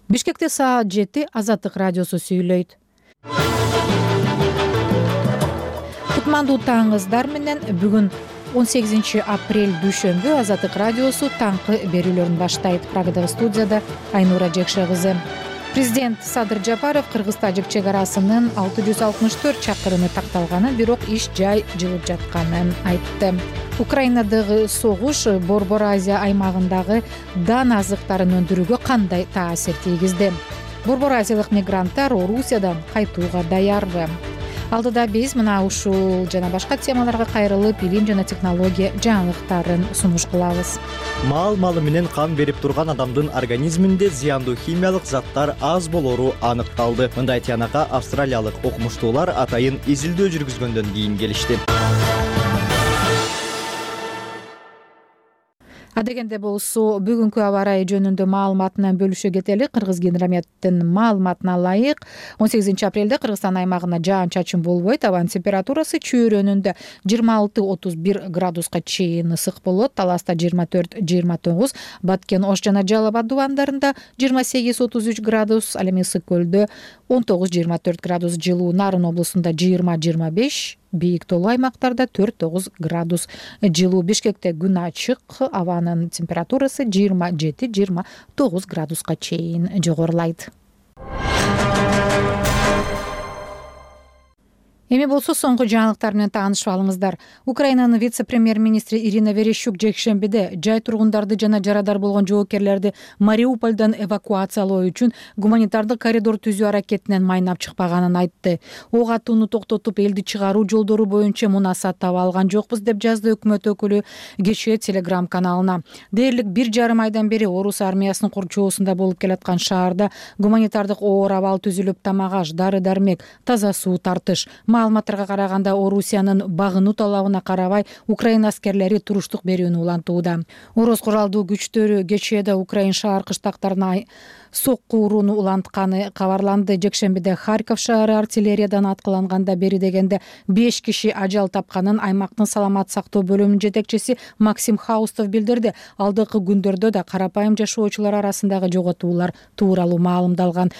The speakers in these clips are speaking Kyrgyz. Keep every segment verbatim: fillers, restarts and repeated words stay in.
Бишкекте саат жети Азаттык радиосу сүйлөйт. Кутмандуу таңыңыздар менен. Бүгүн он сегизинчи апрель дүйшөмбү. Азаттык радиосу таңкы берүүлөрүн баштайт. Прагадагы студияда Айнура Жекше кызы. Президент Садыр Жапаров Кыргыз-Тажик чек арасынын алты жүз алтымыш төрт чакырымы такталганын, бирок иш жай жылып жатканын айтты. Украинадагы согуш Борбор Азия аймагындагы дан азыктарын өндүрүүгө кандай таасир тийгизди? Борбор Азиялык мигранттар Орусиядан кайтууга даярбы? Алдыда биз мына ушул жана башка темаларга кайрылып, билим жана технология жаңылыктарын сунуш кылабыз. Мал малы менен кан берип турган адамдын организминде зыяндуу химиялык заттар аз болору аныкталды. Мындай тыянакка австралиялык окумуштуулар атайын изилдөө жүргүзгөндөн кийин келишти. Адегенде болсо, бүгүнкү аба ырайы жөнүндө маалыматынан бөлүшө кетели. Кыргыз гидрометтин маалыматына ылайык, он сегизинчи апрелде Кыргызстан аймагына жаан-чачын болбойт. Абанын температурасы чөйрөнүндө жыйырма алты отуз бир градуска чейин ысык болот. Таласта жыйырма төрт жыйырма тогуз, Баткен, Ош жана Жалал Абад дубандарында жыйырма сегиз отуз үч градус, ал эми Ысык көлдө он тогуз жыйырма төрт градус жылуу, Нарын облусунда жыйырма жыйырма беш, бийик тоолуу аймактарда төрт тогуз градус жылуу. Бишкекте күн ачык, абанын температурасы жыйырма жети жыйырма тогуз градуска чейин жогорулайт. Эми болсо соңку жаңылыктар менен таанышып алыңыздар. Украинанын вице-премьер-министри Ирина Верещук жекшембиде жай тургундарды жана жарадар болгон жоокерлерди Мариупольдон эвакуациялоо үчүн гуманитардык коридор түзүү аракетинен майнап чыкпаганын айтты. Ок атууну токтотуп, элди чыгаруу жолдору боюнча мунасат таба алган жокпуз деп жазды өкмөт өкүлү кечээ Telegram каналына. Дээрлик бир жарым айдан бери орус армиясынын курчоосунда болуп келаткан шаарда гуманитардык оор абал түзүлүп, тамак-аш, дары-дармек, таза суу, тартыш. Маалыматтарга караганда, Орусиянын багынуу талабына карабай Украина аскерлери туруштук берүүнү улантууда. Орус куралдуу күчтөрү кечээде Украин шаар кыштактарына сокку урууну улантканы кабарланды. Жекшембиде Харьков шаары артиллериядан аткыланганда бери дегенде беш киши ажал тапканын аймактын саламат сактоо бөлүмүнүн жетекчиси Максим Хаустов билдирди. Алдыңкы күндөрдө да карапайым жашоочулар арасындагы жоготуулар тууралуу маалымдалган.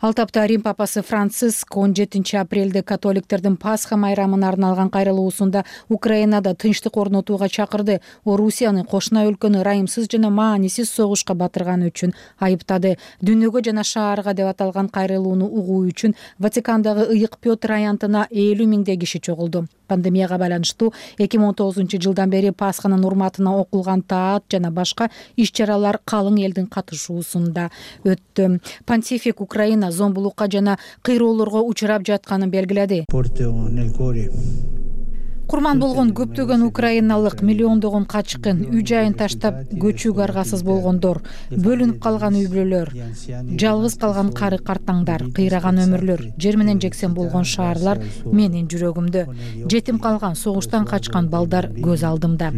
Ал тапта Рим папасы Франциск он жетинчи апрелде католиктердин Пасха майрамына арналган кайрылуусунда Украинада тынчтык орнотууга чакырды. Орусияны кошуна өлкөнү ырайымсыз жана маанисиз согушка батырганы үчүн айыптады. Дүйнөгө жана шаарга деп аталган кайрылууну угуу үчүн Ватикандагы ыйык Петр аянтына элүү миңдей киши чогулду. Пандемияга байланыштуу эки миң он тогузунчу жылдан бери Пасханын урматына окулган таат жана башка иш-чаралар калың элдин катышуусунда өттү. Понтифик Украина зомбулукка жана кыйроолорго учурап жатканын белгиледи. Курман болгон көптөгөн украиналык, миллиондогон качкын, үй жайын таштап көчүүгө аргасыз болгондор, бөлүнүп калган үй бүлөлөр, жалгыз калган кары картаңдар, кыйраган өмүрлөр, жер менен жексен болгон шаарлар менин жүрөгүмдө. Жетим калган, согуштан качкан балдар көз алдымда.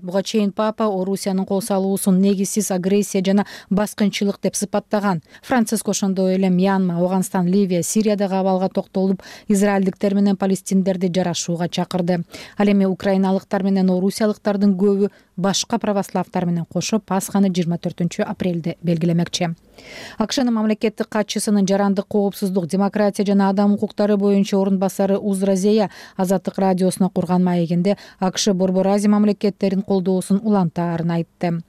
Буга чейин Папа Орусиянын кол салуусун негизсиз агрессия жана баскынчылык деп сыпаттаган. Франциск ошондой эле Мьянма, Ауганстан, Ливия, Сириядагы абалга токтолуп, израилдиктер менен палестиндерди жарашууга чакырды. Ал эми украиналыктар менен орусиялыктардын көбү башка православтар менен кошо Пасханы жыйырма төртүнчү апрелде белгилемекчи. АКШнын мамлекеттик катчысынын жарандык коопсуздук, демократия жана адам укуктары боюнча орун басары Узра Зея Азаттык радиосуна курган маегинде АКШ Борбор Азия мамлекеттерин колдоосун улантаарын айтты.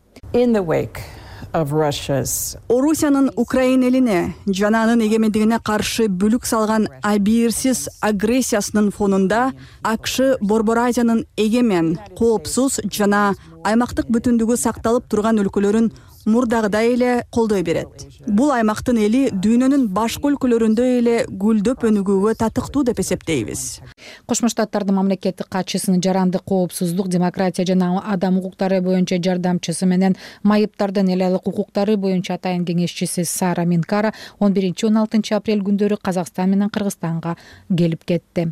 Орусиянын Украина элине жана анын эгемендигине каршы бүлүк салган абийирсиз агрессиясынын фонунда АКШ Борбор Азиянын эгемен, коопсуз жана аймактык бүтүндүгү сакталып турган өлкөлөрүн мурдагыдай эле колдой берет. Бул аймактын эли дүйнөнүн башка өлкөлөрүндөй эле гүлдөп өнүгүүгө татыктуу деп эсептейбиз. Кошмо Штаттардын мамлекеттик катчысынын жарандык коопсуздук, демократия жана адам укуктары боюнча жардамчысы менен майыптардын эл алык укуктары боюнча атайын кеңешчиси Сара Минкара он биринчи он алтынчы апрель күндөрү Казакстан менен Кыргызстанга келип кетти.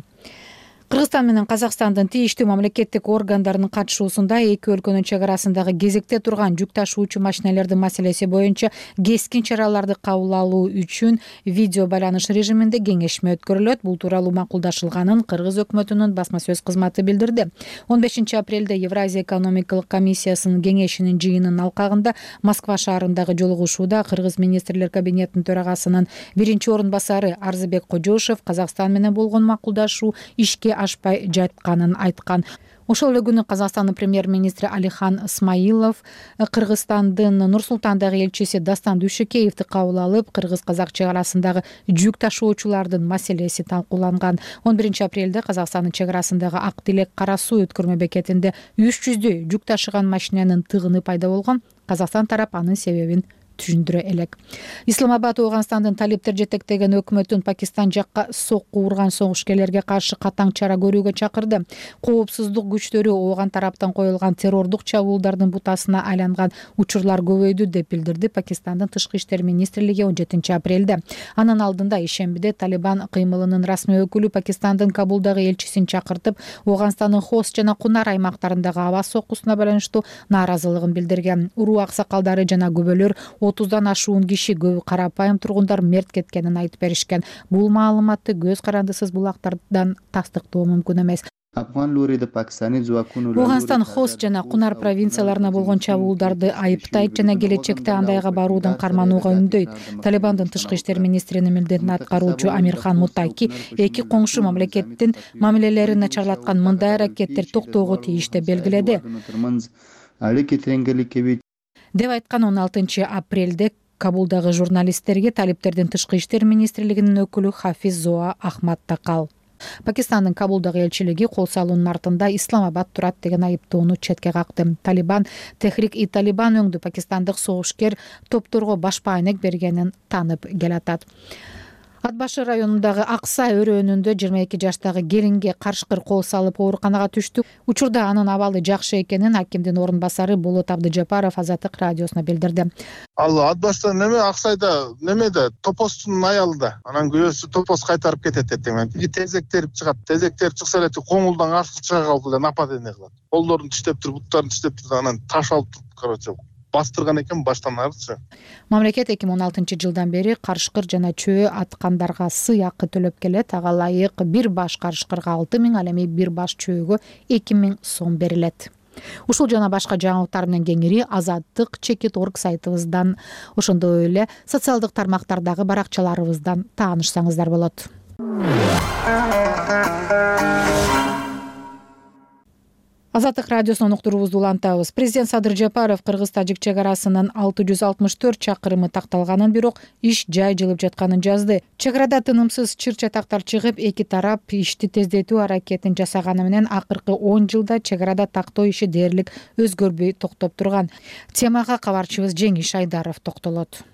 Кыргызстан менен Казакстандын тийиштүү мамлекеттик органдарынын катышуусунда эки өлкөнүн чек арасындагы кезекте турган жүк ташуучу машинелердин маселеси боюнча кескин чараларды кабыл алуу үчүн видео байланыш режиминде кеңешме өткөрүлөт. Бул тууралуу макулдашылганын Кыргыз өкмөтүнүн басма сөз кызматы билдирди. он бешинчи апрелде Евразия экономикалык комиссиясынын кеңешинин жыйынынын алкагында Москва шаарындагы жолугушууда Кыргыз министрлер кабинетинин төрагасынын биринчи орун басары Арзыбек Кожошев Казакстан менен болгон макулдашуу ишке ашпай жатканын айткан. Ошол эле күнү Казакстандын премьер-министри Алихан Смаилов Кыргызстандын Нур-Султандагы элчиси Дастан Дүйшөкеевди кабыл алып, кыргыз-казак чек арасындагы жүк ташуучулардын маселеси талкууланган. он биринчи апрелде Казакстандын чек арасындагы Ак Тилек Кара Суу өткөрмө бекетинде үч жүздөй жүк ташыган машинанын тыгыны пайда болгон. Казакстан тарап анын себебин түшүндүрө элек. Исламабад Ооганстандын талиптер жетектеген өкмөтүн Пакистан жакка сокку урган согушкерлерге каршы катаң чара көрүүгө чакырды. Коопсуздук күчтөрү Ооган тараптан коюлган террордук чабуулдардын бутасына айланган учурлар көбөйдү деп билдирди Пакистандын тышкы иштер министрлиги он жетинчи апрелде. Анын алдында ишембиде Талибан кыймылынын расмий өкүлү Пакистандын Кабулдагы элчисин чакыртып, Ооганстандын Хост жана Кунар аймактарындагы аба соккусуна байланыштуу нааразылыгын билдирген. Уруу аксакалдары жана күбөлөр отуздан ашуун киши, көбү карапайым тургундар мерт кеткенин айтып беришкен. Бул маалыматты көз карандысыз булактардан тастыктоо мүмкүн эмес. Ооганстан Хост жана Кунар провинцияларына болгон чабуулдарды айыптайт жана келечекте андайга баруудан карманууга үндөйт. Талибандын тышкы иштер министринин милдетин аткаруучу Амирхан Мутаки эки коңшу мамлекеттин мамилелерин начарлаткан мындай аракеттер токтоого тийиш деп белгиледи. деп айткан. он алтынчы апрелде Кабулдагы журналисттерге талиптердин тышкы иштер министрлигинин өкүлү Хафиз Зоа Ахмад Такал. Пакистандын Кабулдагы элчилиги кол салуунун артында Исламабад турат деген айыптоону четке какты. Талибан Техрик-и Талибан өңдү пакистандык согушкер топторго баш пайнек бергенин танып келатат. Ат башы районундагы Акса өрөөнүндө жыйырма эки жаштагы келинге карышкыр кол салып ооруканага түштү. Учурда анын абалы жакшы экенин акимдин орун басары Болот Абдыжапаров Азаттык радиосуна билдирди. Ал ат башта неме Аксайда немеде топостун аялында. Анан күйөөсү топос кайтарып кетет этең. Тезек терип чыгат. Тезек терип чыкса эле коңулдан ашып чыга калды да нападение кылат. Колдорун тиштеп туруп, буттарын тиштеп туруп, анан таш алып туруп, короче, бастырган экен баштан арычы. Мамлекет эки миң он алтынчы жылдан бери карышкыр жана чөө аткандарга сый акы төлөп келет. Ага ылайык бир баш карышкырга алты миң, ал эми бир баш чөөгө эки миң сом берилет. Ушул жана башка жаңылыктар менен кеңири Азаттык чекит точка орг сайтыбыздан, ошондой эле социалдык тармактардагы баракчаларыбыздан таанышсаңыздар болот. Азаттык радиосунун уктуруубузду улантабыз. Президент Садыр Жапаров Кыргыз-тажик чек арасынын алты жүз алтымыш төрт чакырымы такталганын, бирок иш жай жылып жатканын жазды. Чек арада тынымсыз чыр-чатактар чыгып, эки тарап ишти тездетүү аракетин жасаганы менен акыркы он жылда чек арада тактоо иши дээрлик өзгөрбөй токтоп турган. Темага кабарчыбыз Жеңиш Айдаров токтолот.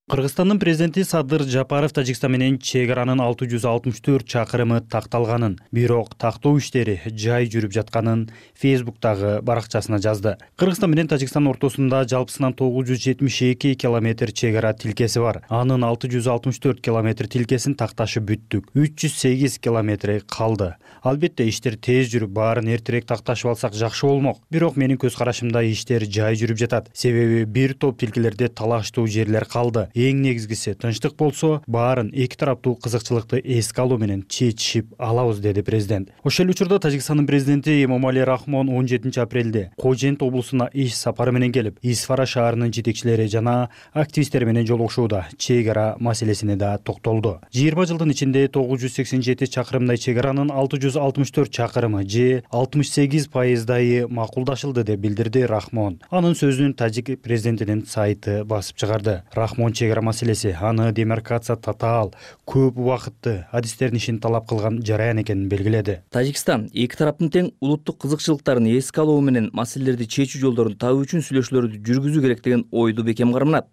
Кыргызстандын президенти Садыр Жапаров Тажикстан менен чек аранын алты жүз алтымыш төрт чакырымы такталганын, бирок тактоо иштери жай жүрүп жатканын Фейсбуктагы баракчасына жазды. Кыргызстан менен Тажикстан ортосунда жалпысынан тогуз жүз жетимиш эки километр чек ара тилкеси бар. Анын алты жүз алтымыш төрт километр тилкесин такташып бүттүк. үч жүз сегиз километри калды. Албетте иштер тез жүрүп, баарын эртерээк такташып алсак жакшы болмок. Бирок менин көз карашымда иштер жай жүрүп жатат. Себеби бир топ тилкелерде талаштуу жерлер калды. Эң негизгиси тынчтык болсо, баарын эки тараптуу кызыкчылыкты эске алуу менен чечишип алабыз, деди президент. Ошол учурда Тажикстандын президенти Эмомали Рахмон он жетинчи апрелде Кожент облусуна иш сапары менен келип, Исфара шаарынын жетекчилери жана активисттер менен жолугушууда чек ара маселесине да токтолду. жыйырма жылдын ичинде тогуз жүз сексен жети чакырымдай чек аранын алты жүз алтымыш төрт чакырымы же алтымыш сегиз пайыздайы макулдашылды деп билдирди Рахмон. Анын сөзүн Тажик президентинин сайты басып чыгарды. Рахмон чек ара маселеси аны демаркация татаал, көп убакытты адистердин ишин талап кылган жараян экенин белгиледи. Тажикстан эки тараптын тең улуттук кызыкчылыктарын эске алуу менен маселелерди чечүү жолдорун табуу үчүн сүйлөшүүлөрдү жүргүзүү керек деген ойду бекем карманат.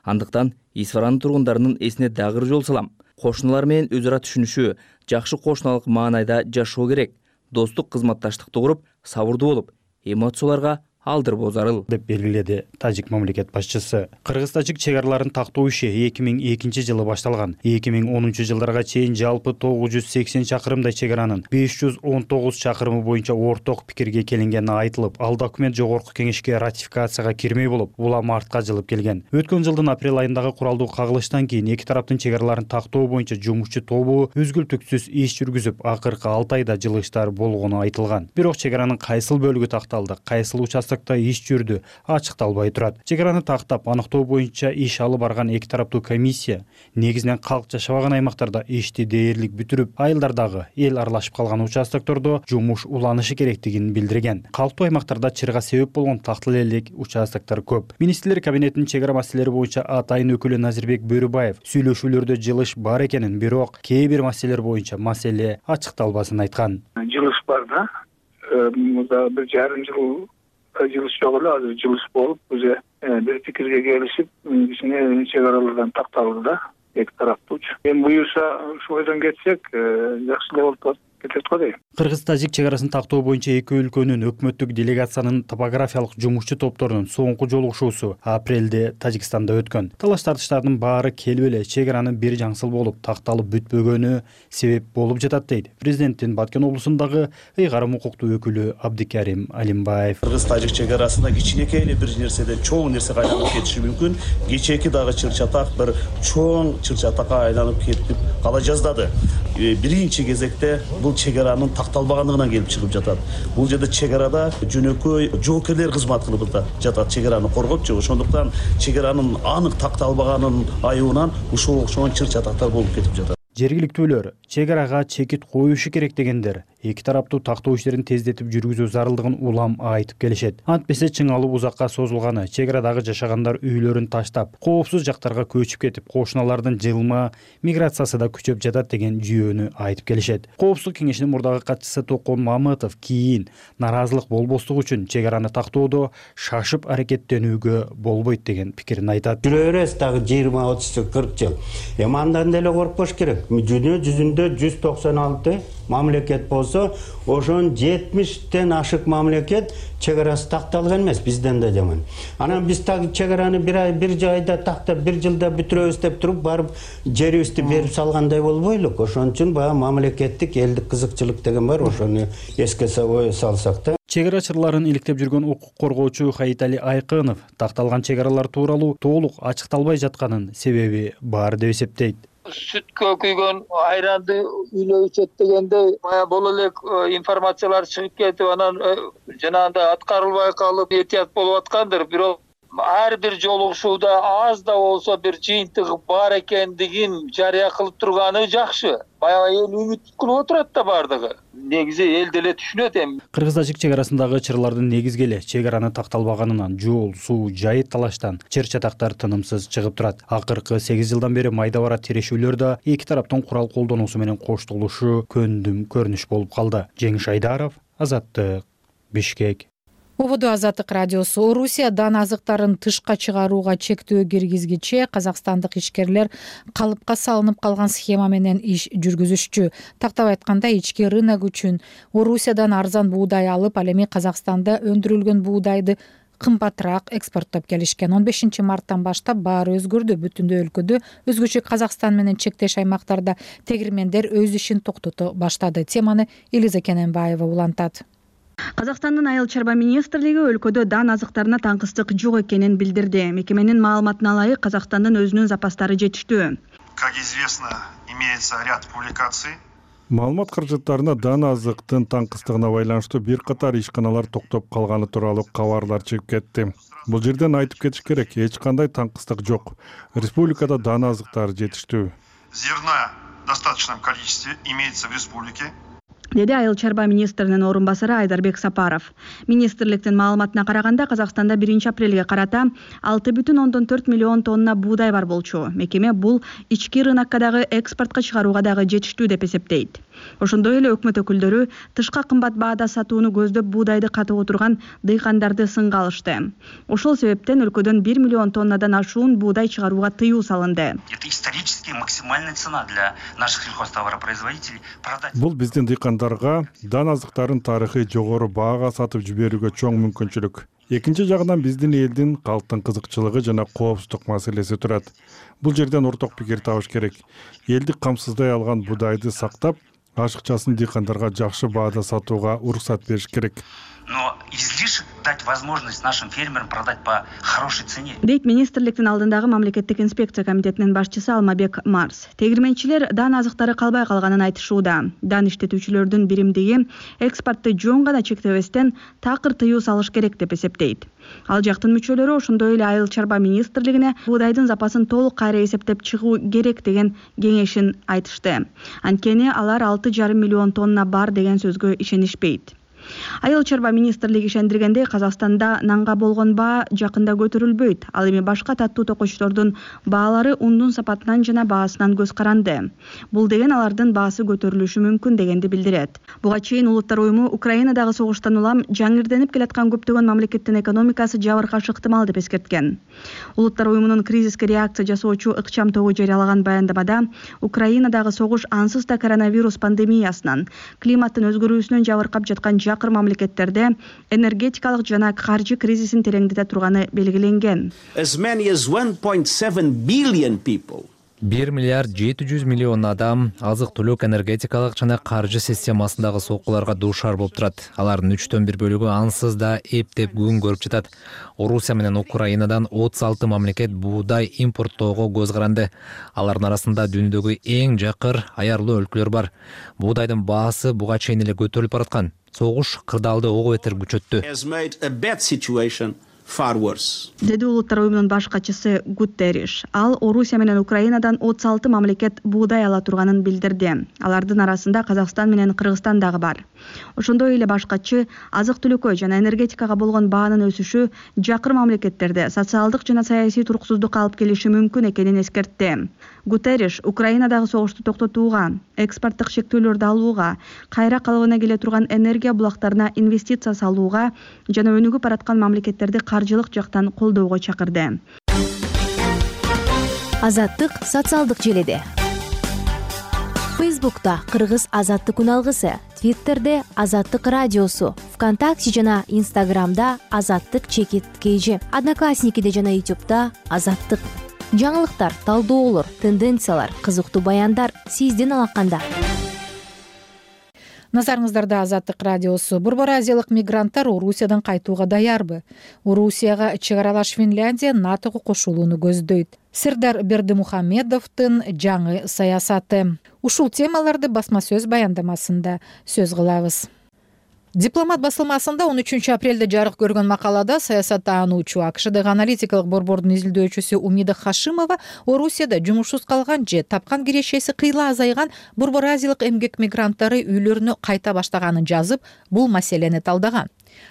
Андыктан Исфаранын тургундарынын эсине дагы жол салам. Кошуналар менен өз ара түшүнүшү, жакшы кошуналык маанайда жашоо керек. Достук, кызматташтыкты куруп, сабырдуу болуп, эмоцияларга алдырбоо зарыл деп белгиледи тажик мамлекет башчысы. Кыргыз-тажик чек араларын тактоо иши эки миң экинчи жылы башталган. эки миң онунчу жылдарга чейин жалпы тогуз жүз сексен чакырымдай чек аранын беш жүз он тогуз чакырымы боюнча орток пикирге келингени айтылып, ал документ жогорку кеңешке ратификацияга кирмей болуп, улам артка жылып келген. Өткөн жылдын апрель айындагы куралдуу кагылыштан кийин эки тараптын чек араларын тактоо боюнча жумушчу тобу үзгүлтүксүз иш жүргүзүп, акыркы алты айда жылыштар болгону айтылган. Бирок чек аранын кайсыл бөлүгү такталды, кайсыл участокто иш жүрдү, ачыкталбай турат. Чек араны тактап, аныктоо боюнча иш алып барган эки тараптуу комиссия негизинен калк жашабаган аймактарда ишти дээрлик бүтүрүп, айылдардагы эл аралашып калган участоктордо жумуш уланышы керектигин билдирген. Калктуу аймактарда чырга себеп болгон тактыл элек участоктор көп. Министрлер кабинетинин чек ара маселелери боюнча атайын өкүлү Назирбек Бөрүбаев сүйлөшүүлөрдө жылыш бар экенин, бирок кээ бир маселелер боюнча маселе ачыкталбасын айткан. Жылыш бар да. Мында бир жарым жыл жылыш жок эле, азыр жылыш болуп, биз бир пикирге келишип, кичине чек аралардан такталды да, эки тараптууч. Эми буюрса ушул бойдон кетсек, жакшы эле болуп кетет го дейм. Кыргыз-тажик чек арасын тактоо боюнча эки өлкөнүн өкмөттүк делегациянын топографиялык жумушчу топторунун соңку жолугушуусу апрелде Тажикстанда өткөн. Талаш тартыштардын баары келип эле чек аранын бир жаңсыл болуп такталып бүтпөгөнү себеп болуп жатат дейт президенттин Баткен облусундагы ыйгарым укуктуу өкүлү Абдикарим Алимбаев. Кыргыз-тажик чек арасында кичинекей эле бир нерседен чоң нерсе айланып кетиши мүмкүн. Кечээки дагы чыр-чатак бир чоң чыр-чатакка айланып кетип кала жаздады. Биринчи кезекте бул чек аранын такталбагандыгынан келип чыгып жатат. Бул жерде чек арада жөнөкөй жоокерлер кызмат кылып жатат, чек араны коргопчу. Ошондуктан чек аранын анык такталбаганын айыбынан ушул окшогон чыр-чатактар болуп кетип жатат. Жергиликтүүлөр чек арага чекит коюшу керек дегендер эки тараптуу тактоо иштерин тездетип жүргүзүү зарылдыгын улам айтып келишет. Антпесе чыңалып узакка созулганы, чек арадагы жашагандар үйлөрүн таштап, коопсуз жактарга көчүп кетип, кошуналардын жылма миграциясы да күчөп жатат деген жүйөнү айтып келишет. Коопсуздук кеңешинин мурдагы катчысы Токон Мамытов кийин наразылык болбостук үчүн чек араны тактоодо шашып аракеттенүүгө болбойт деген пикирин айтат. Жүрө беребиз дагы жыйырма отуз кырк жыл. Эми андан деле коркпош керек. Дүнө жүзүндө жүз токсон алты мамлекет болсо, ошон жетимиштен ашык мамлекет чек арасы такталган эмес, бизден да жаман. Анан биз так чек араны бир ай бир жайда тактап бир жылда бүтүрөбүз деп туруп барып жерибизди берип салгандай болбойлук. Ошон үчүн баягы мамлекеттик элдик кызыкчылык деген бар, ошону эске салсак да. Чек арачыларын иликтеп жүргөн укук коргоочу Хаитали Айкынов такталган чек аралар тууралуу толук ачыкталбай жатканын себеби бар деп эсептейт. Сүткө күйгөн айранды үйлөө ичет дегенде бая боло элек информациялар чыгып кетип, анан жанагындай аткарылбай калып этият болуп аткандыр. Бирок ар бир жолугушууда аз да болсо бир жыйынтыгы бар экендигин жарыя кылып турганы жакшы. Баягы эл үмүт кылып отурат да бардыгы. Негизи эл деле түшүнөт эми. Кыргыз-тажик чек арасындагы чырлардын негизги эле чек араны такталбаганынан жол, суу, жайыт талаштан чыр-чатактар тынымсыз чыгып турат. Акыркы сегиз жылдан бери майда бара тирешүүлөрдө эки тараптын курал колдонуусу менен коштолушу көндүм көрүнүш болуп калды. Жеңиш Айдаров, Азаттык, Бишкек. Ободо Азаттык радиосу. Орусиядан азыктарын тышка чыгарууга чектөө киргизгиче казакстандык ишкерлер калыпка салынып калган схема менен иш жүргүзүшчү. Тактап айтканда, ички рынок үчүн Орусиядан арзан буудай алып, ал эми Казакстанда өндүрүлгөн буудайды кымбатыраак экспорттоп келишкен. он бешинчи марттан баштап баары өзгөрдү. Бүтүндөй өлкөдө, өзгөчө Казакстан менен чектеш аймактарда тегирмендер өз ишин токтото баштады. Теманы Элиза Кененбаева улантат. Казакстандын айыл чарба министрлиги өлкөдө дан азыктарына таңкыстык жок экенин билдирди. Мекеменин маалыматына ылайык, Казакстандын өзүнүн запастары жетиштүү. Как известно, имеется ряд публикаций. Маалымат каражаттарына дан азыктын таңкыстыгына байланыштуу бир катар ишканалар токтоп калганы тууралуу кабарлар чыгып кетти. Бул жерден айтып кетиш керек, эч кандай таңкыстык жок. Республикада дан азыктар жетиштүү. Зерна в достаточном количестве имеется в республике. Деди айыл чарба министринин орун басары Айдарбек Сапаров. Министрликтин маалыматына караганда, Казакстанда биринчи апрелге карата алты бүтүн ондон төрт миллион тонна буудай бар болчу. Мекеме бул ички рынокко дагы экспортко чыгарууга дагы жетиштүү деп эсептейт. Ошондой эле өкмөт өкүлдөрү тышка кымбат баада сатууну көздөп буудайды катып отурган дыйкандарды сынга алышты. Ошол себептен өлкөдөн бир миллион тоннадан ашуун буудай чыгарууга тыюу салынды. Это исторически максимальная цена для наших сельхозтоваропроизводителей. Бул биздин дыйкандар тургандарга дан азыктарын тарыхый жогору баага сатып жиберүүгө чоң мүмкүнчүлүк. Экинчи жагынан биздин элдин калктын кызыкчылыгы жана коопсуздук маселеси турат. Бул жерден орток пикир табыш керек. Элди камсыздай алган буудайды сактап, ашыкчасын дыйкандарга жакшы баада сатууга уруксат бериш керек. Но излишек дать возможность нашим фермерам продать по хорошей цене. Дейт министрликтин алдындагы мамлекеттик инспекция комитетинин башчысы Алмабек Марс. Тегирменчилер дан азыктары калбай калганын айтышууда. Дан иштетүүчүлөрдүн биримдиги экспортты жөн гана чектебестен такыр тыюу салыш керек деп эсептейт. Ал жактын мүчөлөрү ошондой эле Айыл чарба министрлигине буудайдын запасын толук кайра эсептеп чыгуу керек деген кеңешин айтышты. Анткени алар алты жарым миллион тонна бар деген сөзгө ишенишпейт. Айыл чарба министрлиги ишендиргендей, Казакстанда нанга болгон баа жакында көтөрүлбөйт. Ал эми башка таттуу токочтордун баалары ундун сапатынан жана баасынан көз каранды. Бул деген алардын баасы көтөрүлүшү мүмкүн дегенди билдирет. Буга чейин Улуттар уюму Украинадагы согуштан улам жаңырденип келаткан көптөгөн мамлекеттин экономикасы жабыркаш ыктымал деп эскерткен. Улуттар уюмунун кризиске реакция жасоочу ыкчам тобу жарыялаган баяндамада Украинадагы согуш ансыз да коронавирус пандемиясынан, климаттын өзгөрүүсүнөн жабыркап жаткан жакыр мамлекеттерде энергетикалык жана каржы кризисин тереңдете турганы белгиленген. As many as one point seven billion people бир миллиард жети жүз миллион адам азык-түлүк, энергетикалык жана каржы системасындагы соккуларга дуушар болуп турат. Алардын үчтөн бир бөлүгү ансыз да эптеп күн көрүп жатат. Орусия менен Украинадан отуз алты мамлекет буудай импорттоого көз каранды. Алардын арасында дүйнөдөгү эң жакыр аярлуу өлкөлөр бар. Буудайдын баасы буга чейин эле көтөрүлүп бараткан. Согуш кырдаалды ого бетер күчөттү. Деди Улуттар уюмунун баш катчысы Гутерриш. Ал Орусия менен Украинадан отуз алты мамлекет буудай ала турганын билдирди. Алардын арасында Казакстан менен Кыргызстан дагы бар. Ошондой эле баш катчы азык-түлүккө жана энергетикага болгон баанын өсүшү жакыр мамлекеттерде социалдык жана саясий туруксуздукка алып келиши мүмкүн экенин эскертти. Гутерриш Украинадагы согушту токтотууга, экспорттук шектөөлөрдү алууга, кайра калыбына келе турган энергия булактарына инвестиция салууга жана өнүгүп бараткан мамлекеттерди каржылык жактан колдоого чакырды. Азаттык социалдык желеде. Фейсбукта Кыргыз азаттык үналгысы, Твиттерде Азаттык радиосу, ВКонтакте жана Инстаграмда Азаттык чекит кейжи, Одноклассникиде жана Ютубта Азаттык. Жаңылыктар, талдоолор, тенденциялар, кызыктуу баяндар сиздин алаканда. Назарыңыздарда Азаттык радиосу. Борбор азиялык мигранттар Орусиядан кайтууга даярбы? Орусияга чек аралаш Финляндия натого кошулууну көздөйт. Сирдар Бердимухамедовдун жаңы саясаты. Ушул темаларды басма сөз баяндамасында сөз кылабыз. Дипломат басылмасында он үчүнчү апрелде жарык көргөн макалада саясаттануучу АКШдагы аналитикалык борбордун изилдөөчүсү Умида Хашимова Орусияда жумушсуз калган же тапкан кирешеси кыйла азайган борбор азиялык эмгек мигранттары үйлөрүнө кайта баштаганын жазып, бул маселени талдаган.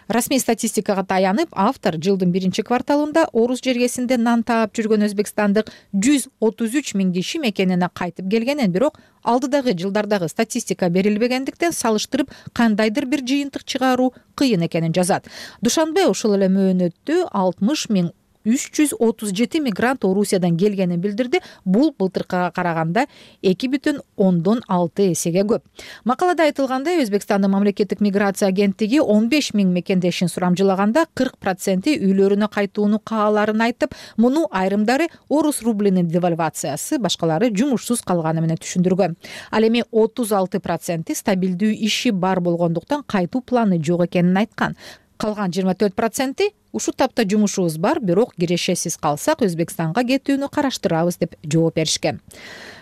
Расмий статистикага таянып, автор жылдын биринчи кварталында Орус жергесинде нан таап жүргөн өзбекстандык жүз отуз үч миң киши мекенине кайтып келгенин, бирок алдыдагы жылдардагы статистика берилбегендиктен салыштырып кандайдыр бир жыйынтык чыгаруу кыйын экенин жазат. Душанбе ушул эле мөөнөттө алтымыш миң үч жүз отуз жети мигрант Орусиядан келгенин билдирди. Бул былтыркыга караганда эки бүтүн ондон алты эсеге көп. Макалада айтылгандай, Өзбекстандын мамлекеттик миграция агенттиги он беш миң мекендешин сурамжылаганда кырк проценти үйлөрүнө кайтууну кааларын айтып, муну айрымдары орус рублинин девальвациясы, башкалары жумушсуз калганы менен түшүндүргөн. Ал эми отуз алты проценти стабилдүү иши бар болгондуктан кайтуу планы жок экенин айткан. Калган жыйырма төрт проценти ушул тапта жумушубуз бар, бирок кирешесиз калсак Өзбекстанга кетүүнү караштырабыз деп жооп беришкен.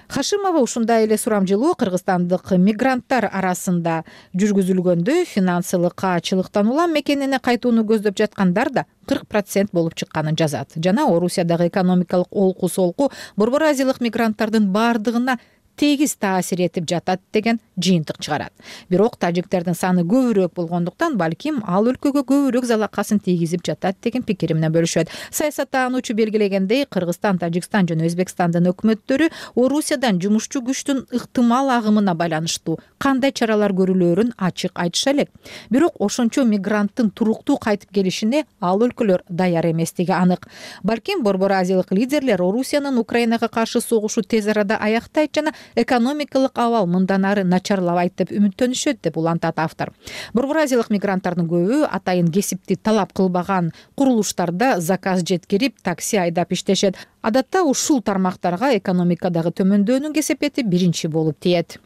Хашимова ушундай эле сурамжылоо кыргызстандык мигранттар арасында жүргүзүлгөндө финансылык каачылыктан улам мекенине кайтууну көздөп жаткандар да кырк процент болуп чыкканын жазат. Жана Орусиядагы экономикалык олку солку борбор азиялык мигранттардын бардыгына тегиз таасир этип жатат деген жыйынтык чыгарат. Бирок тажиктердин саны көбүрөөк болгондуктан балким ал өлкөгө көбүрөөк залакасын тийгизип жатат деген пикир менен бөлүшөт. Саясаттануучу белгилегендей, Кыргызстан, Тажикстан жана Өзбекстандын өкмөттөрү Орусиядан жумушчу күчтүн ыктымал агымына байланыштуу кандай чаралар көрүлөрүн ачык айтыша элек. Бирок ошончо мигранттын туруктуу кайтып келишине ал өлкөлөр даяр эместиги анык. Балким борбор азиялык лидерлер Орусиянын Украинага каршы согушу тез арада аяктайт жана экономикалык абал мындан ары начарлабайт деп үмүттөнүшөт деп улантат автор. Бурбуразиялык мигранттардын көбү атайын кесипти талап кылбаган курулуштарда заказ жеткирип, такси айдап иштешет. Адатта ушул тармактарга экономикадагы төмөндөөнүн кесепети биринчи болуп тиет.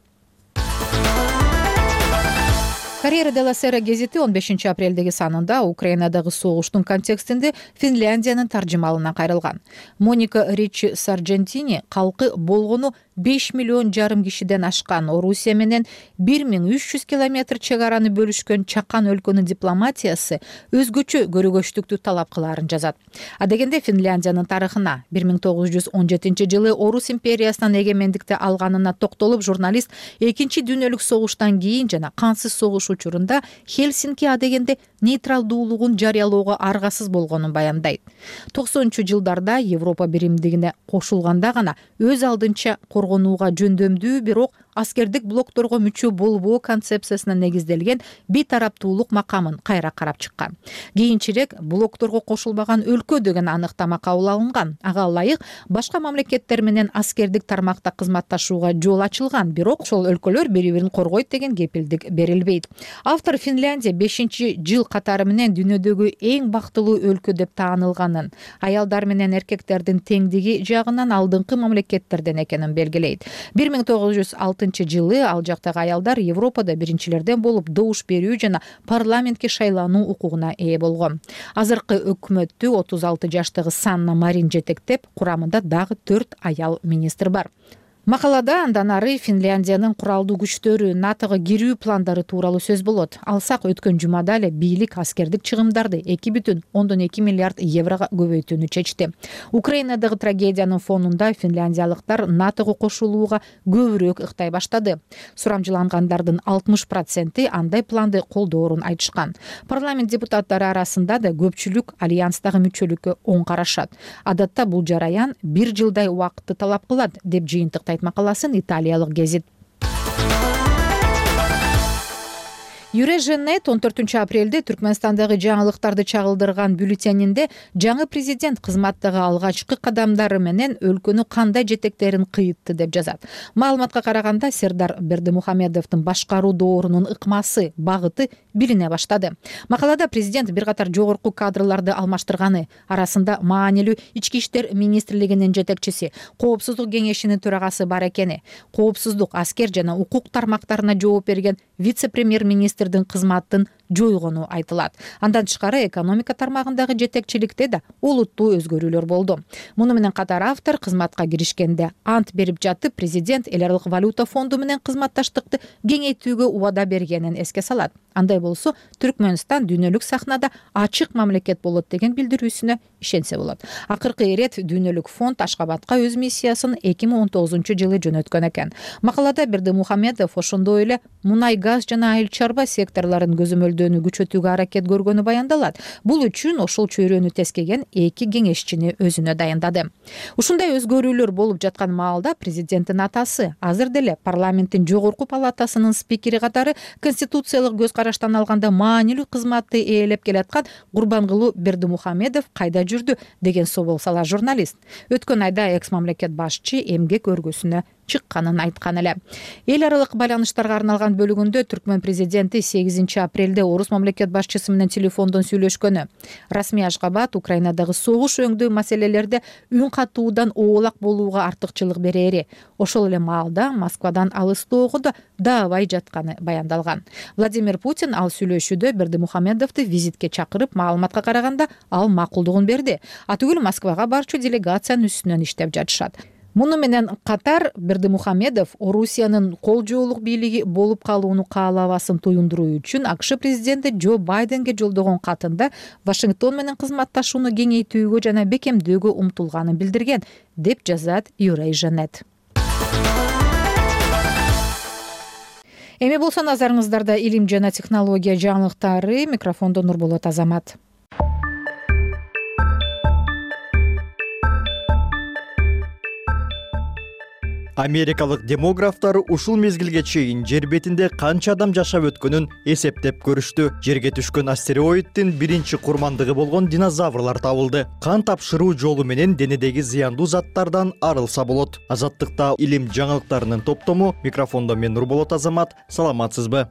Карьера делла Сера гезити он бешинчи апрелдеги санында Украинадагы согуштун контекстинде Финляндиянын таржымалына кайрылган. Моника Ричи Сарджентини калкы болгону беш миллион жарым кишиден ашкан Орусия менен бир миң үч жүз километр чек араны бөлүшкөн чакан өлкөнүн дипломатиясы өзгөчө көрөгөчтүктү талап кылаарын жазат. Адегенде Финляндиянын тарыхына бир миң тогуз жүз он жетинчи жылы Орус империясынан эгемендикти алганына токтолуп, журналист экинчи дүйнөлүк согуштан кийин жана кансыз согуш учурунда Хельсинки адегенде нейтралдуулугун жарыялоого аргасыз болгонун баяндайт. токсонунчу жылдарда Европа биримдигине кошулганда гана өз алдынча коргонууга жөндөмдүү, бирок аскердик блокторго мүчө болбоо концепциясына негизделген бейтараптуулук макамын кайра карап чыккан. Кийинчерээк блокторго кошулбаган өлкө деген аныктама кабыл алынган. Ага ылайык башка мамлекеттер менен аскердик тармакта кызматташууга жол ачылган, бирок ошол өлкөлөр бири-бирин коргойт деген кепилдик берилбейт. Автор Финляндия бешинчи жыл катары менен дүйнөдөгү эң бактылуу өлкө деп таанылганын, аялдар менен эркектердин теңдиги жагынан алдыңкы мамлекеттерден экенин белгилейт. бир миң тогуз жүз алтынчы жылы ал жактагы аялдар Европада биринчилерден болуп добуш берүү жана парламентке шайлануу укугуна ээ болгон. Азыркы өкмөттү отуз алты жаштагы Санна Марин жетектеп, курамында дагы төрт аял министр бар. Макалада андан ары Финляндиянын куралдуу күчтөрү НАТОго кирүү пландары тууралуу сөз болот. Алсак, өткөн жумада эле бийлик аскердик чыгымдарды эки бүтүн ондон эки миллиард еврого көбөйтүүнү чечти. Украинадагы трагедиянын фонунда финляндиялыктар НАТОго кошулууга көбүрөөк ыктай баштады. Сурамжылангандардын алтымыш проценти андай планды колдоорун айтышкан. Парламент депутаттары арасында да көпчүлүк альянстагы мүчөлүккө оң карашат. Адатта бул жараян бир жылдай убакытты талап кылат деп жыйынтыктайт макаласын италиялык гезит. Юреженет он төртүнчү апрелде Түркмөнстандагы жаңылыктарды чагылдырган бюллетенинде жаңы президент кызматтагы алгачкы кадамдары менен өлкөнү кандай жетектерин кыйытты деп жазат. Маалыматка караганда Сердар Бердимухамедовдун башкаруу доорунун ыкмасы, багыты билине баштады. Макалада президент бир катар жогорку кадрларды алмаштырганы, арасында маанилүү ички иштер министрлигинин жетекчиси, коопсуздук кеңешинин төрагасы бар экени, коопсуздук, аскер жана укук тармактарына жооп берген вице-премьер-министр кызматтын жойгону айтылат. Андан тышкары экономика тармагындагы жетекчиликте да олуттуу өзгөрүүлөр болду. Муну менен катар автор кызматка киришкенде ант берип жатып, президент эл аралык валюта фонду менен кызматташтыкты кеңейтүүгө убада бергенин эске салат. Андай болсо, Түркмөнстан дүйнөлүк сахнада ачык мамлекет болот деген билдирүүсүнө ишенсе болот. Акыркы ирет дүйнөлүк фонд Ашкабадка өз миссиясын эки миң он тогузунчу жылы жөнөткөн экен. Макалада Бердимухамедов ошондой эле мунай газ жана айыл чарба секторлорун көзөмөлдөөнү күчөтүүгө аракет көргөнү баяндалат. Бул үчүн ошол чөйрөнү тескеген эки кеңешчини өзүнө дайындады. Ушундай өзгөрүүлөр болуп жаткан маалда президенттин атасы азыр деле парламенттин жогорку палатасынын спикери катары конституциялык көз караштан алганда маанилүү кызматты ээлеп келаткан Гурбангулу Бердимухамедов кайда жүрдү деген собол сала журналист. Өткөн айда экс мамлекет башчы эмгек өргөсүнө чыкканын айткан эле. Эл аралык байланыштарга арналган бөлүгүндө Түркмөн президенти сегизинчи апрелде орус мамлекет башчысы менен телефондон сүйлөшкөнү. Расмий Ашгабад Украинадагы согуш өңдүү маселелерде үн катуудан оолак болууга артыкчылык берери. Ошол эле маалда Москвадан алыстоого да даабай жатканы баяндалган. Владимир Путин ал сүйлөшүүдө Бердимухамедовду визитке чакырып, маалыматка караганда ал макулдугун берди. Атүгүл Москвага барчу делегациянын үстүнөн иштеп жатышат. Муну менен катар Бердимухамедов Орусиянын кол жоолук бийлиги болуп калууну каалабасын туюндуруу үчүн АКШ президенти Джо Байденге жолдогон катында Вашингтон менен кызматташууну кеңейтүүгө жана бекемдөөгө умтулганын билдирген, деп жазат Юреженет. Эми болсо назарыңыздарда илим жана технология жаңылыктары. Микрофондо Нурболот Азамат. Америкалык демографтар ушул мезгилге чейин жер бетинде канча адам жашап өткөнүн эсептеп көрүштү. Жерге түшкөн астероиддин биринчи курмандыгы болгон динозаврлар табылды. Кан тапшыруу жолу менен денедеги зыяндуу заттардан арылса болот. Азаттыкта илим жаңылыктарынын топтому. Микрофондо мен Нурболот Азамат. Саламатсызбы?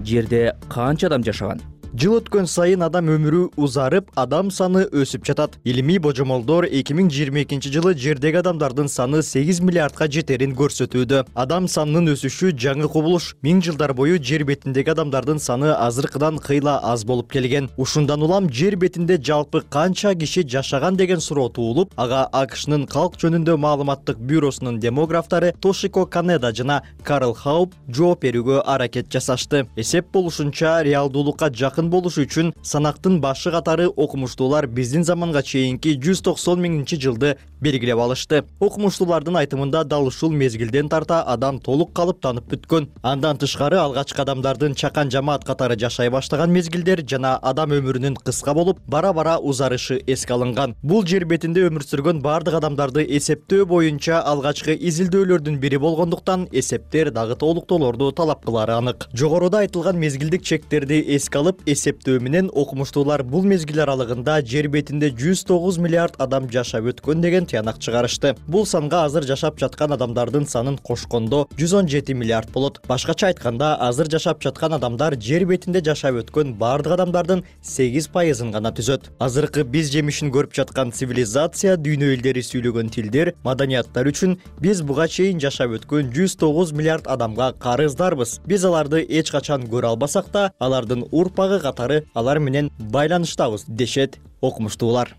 Жерде канча адам жашаган? Жыл өткөн сайын адам өмүрү узарып, адам саны өсүп жатат. Илимий божомолдор эки миң жыйырма экинчи жылы жердеги адамдардын саны сегиз миллиардка жетерин көрсөтүүдө. Адам санынын өсүшү жаңы кубулуш. Миң жылдар бою жер бетиндеги адамдардын саны азыркыдан кыйла аз болуп келген. Ушундан улам жер бетинде жалпы канча киши жашаган деген суроо туулуп, ага АКШнын калк жөнүндө маалыматтык бюросунун демографтары Тошико Канеда жана Карл Хауп жооп берүүгө аракет жасашты. Эсеп болушунча, реалдуулукка жакын болуш үчүн санактын башы катары окумуштуулар биздин заманга чейинки жүз токсон миңинчи жылды белгилеп алышты. Окумуштуулардын айтымында дал ушул мезгилден тарта адам толук калыптанып бүткөн. Андан тышкары алгачкы адамдардын чакан жамаат катары жашай баштаган мезгилдер жана адам өмүрүнүн кыска болуп, бара-бара узарышы эске алынган. Бул жер бетинде өмүр сүргөн бардык адамдарды эсептөө боюнча алгачкы изилдөөлөрдүн бири болгондуктан эсептер дагы толуктоолорду талап кылары анык. Жогоруда айтылган мезгилдик чектерди эске алып, эсептөө менен окумуштуулар бул мезгил аралыгында жер бетинде жүз тогуз миллиард адам жашап өткөн деген тыянак чыгарышты. Бул санга азыр жашап жаткан адамдардын санын кошкондо жүз он жети миллиард болот. Башкача айтканда, азыр жашап жаткан адамдар жер бетинде жашап өткөн бардык адамдардын сегиз пайызын гана түзөт. Азыркы биз жемишин көрүп жаткан цивилизация, дүйнө элдери сүйлөгөн тилдер, маданияттар үчүн биз буга чейин жашап өткөн жүз тогуз миллиард адамга карыздарбыз. Биз аларды эч качан көрө албасак да, алардын урпагы катары алар менен байланыштабыз, дешет окумуштуулар.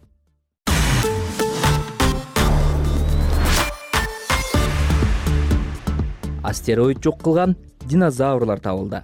Астероид жок кылган динозаврлар табылды.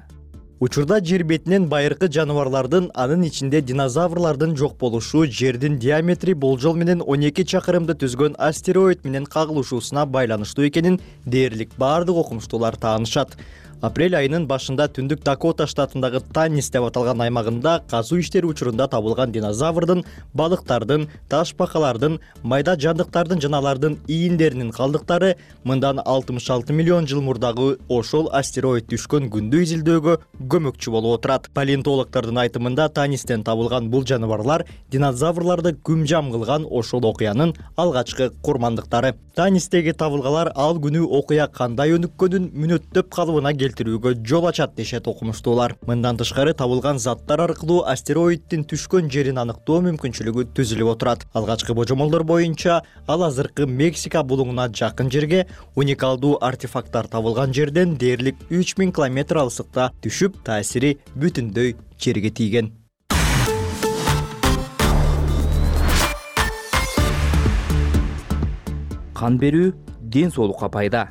Учурда жер бетинен байыркы жаныбарлардын, анын ичинде динозаврлардын жок болушу жердин диаметри болжол менен он эки чакырымды түзгөн астероид менен кагылышуусуна байланыштуу экенин дээрлик бардык окумуштуулар таанышат. Апрель айынын башында түндүк Дакота штатындагы Таннис деп аталган аймагында казуу иштери учурунда табылган динозаврдын, балыктардын, таш бакалардын, майда жандыктардын жана алардын ийиндеринин калдыктары мындан алтымыш алты миллион жыл мурдагы ошол астероид түшкөн күндү изилдөөгө көмөкчү болуп отурат. Палеонтологдордун айтымында Таннистен табылган бул жаныбарлар динозаврларды күмжам кылган ошол окуянын алгачкы курмандыктары. Таннистеги табылгалар ал күнү окуя кандай өнүккөнүн мүнөттөп калыбына келтирүүгө жол ачат, дешет окумуштуулар. Мындан тышкары табылган заттар аркылуу астероиддин түшкөн жерин аныктоо мүмкүнчүлүгү түзүлүп отурат. Алгачкы божомолдор боюнча ал азыркы Мексика булуңуна жакын жерге, уникалдуу артефакттар табылган жерден дээрлик үч миң километр алыстыкта түшүп, таасири бүтүндөй жерге тийген. Кан берүү ден соолукка пайда.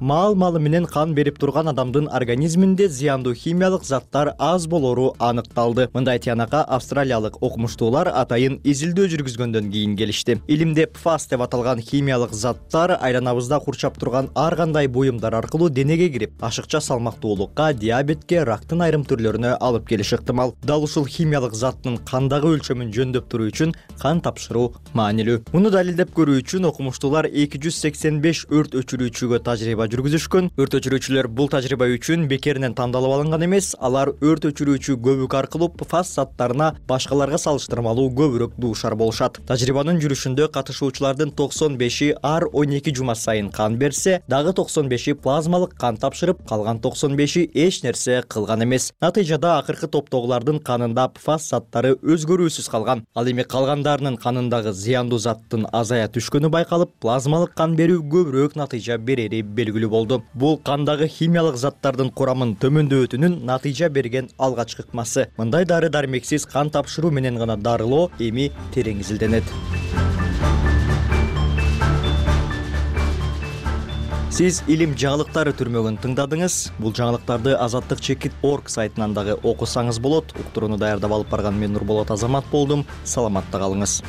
Маал-малы менен кан берип турган адамдын организминде зыяндуу химиялык заттар аз болору аныкталды. Мындай тыянакка австралиялык окумуштуулар атайын изилдөө жүргүзгөндөн кийин келишти. Илимде пфас деп аталган химиялык заттар айланабызда курчап турган ар кандай буюмдар аркылуу денеге кирип, ашыкча салмактуулукка, диабетке, рактын айрым түрлөрүнө алып келиши ыктымал. Дал ушул химиялык заттын кандагы өлчөмүн жөндөп туруу үчүн кан тапшыруу маанилүү. Муну далилдеп көрүү үчүн окумуштуулар эки жүз сексен беш өрт өчүрүүчүгө тажрыйба жүргүзүшкөн. Өрт өчүрүүчүлөр бул тажрыйба үчүн бекеринен тандалып алынган эмес, алар өрт өчүрүүчү көбүк аркылуу пфас заттарына башкаларга салыштырмалуу көбүрөөк дуушар болушат. Тажрыйбанын жүрүшүндө катышуучулардын токсон беши ар он эки жума сайын кан берсе, дагы токсон беши плазмалык кан тапшырып, калган токсон беши эч нерсе кылган эмес. Натыйжада акыркы топтогулардын канында пфас заттары өзгөрүүсүз калган. Ал эми калгандарынын канындагы зыяндуу заттын азая түшкөнү байкалып, плазмалык кан берүү көбүрөөк натыйжа берери белгилүү болду. Бул кандагы химиялык заттардын курамын төмөндөтүүнүн натыйжа берген алгачкы ыкмасы. Мындай дары-дармексиз кан тапшыруу менен гана дарылоо эми терең изилденет. Сиз илим жаңылыктары түрмөгүн тыңдадыңыз. Бул жаңылыктарды азаттык чекит точка орг сайтынан дагы окусаңыз болот. Уктурууну даярдап алып барган мен Нурболот Азамат болдум. Саламатта калыңыз.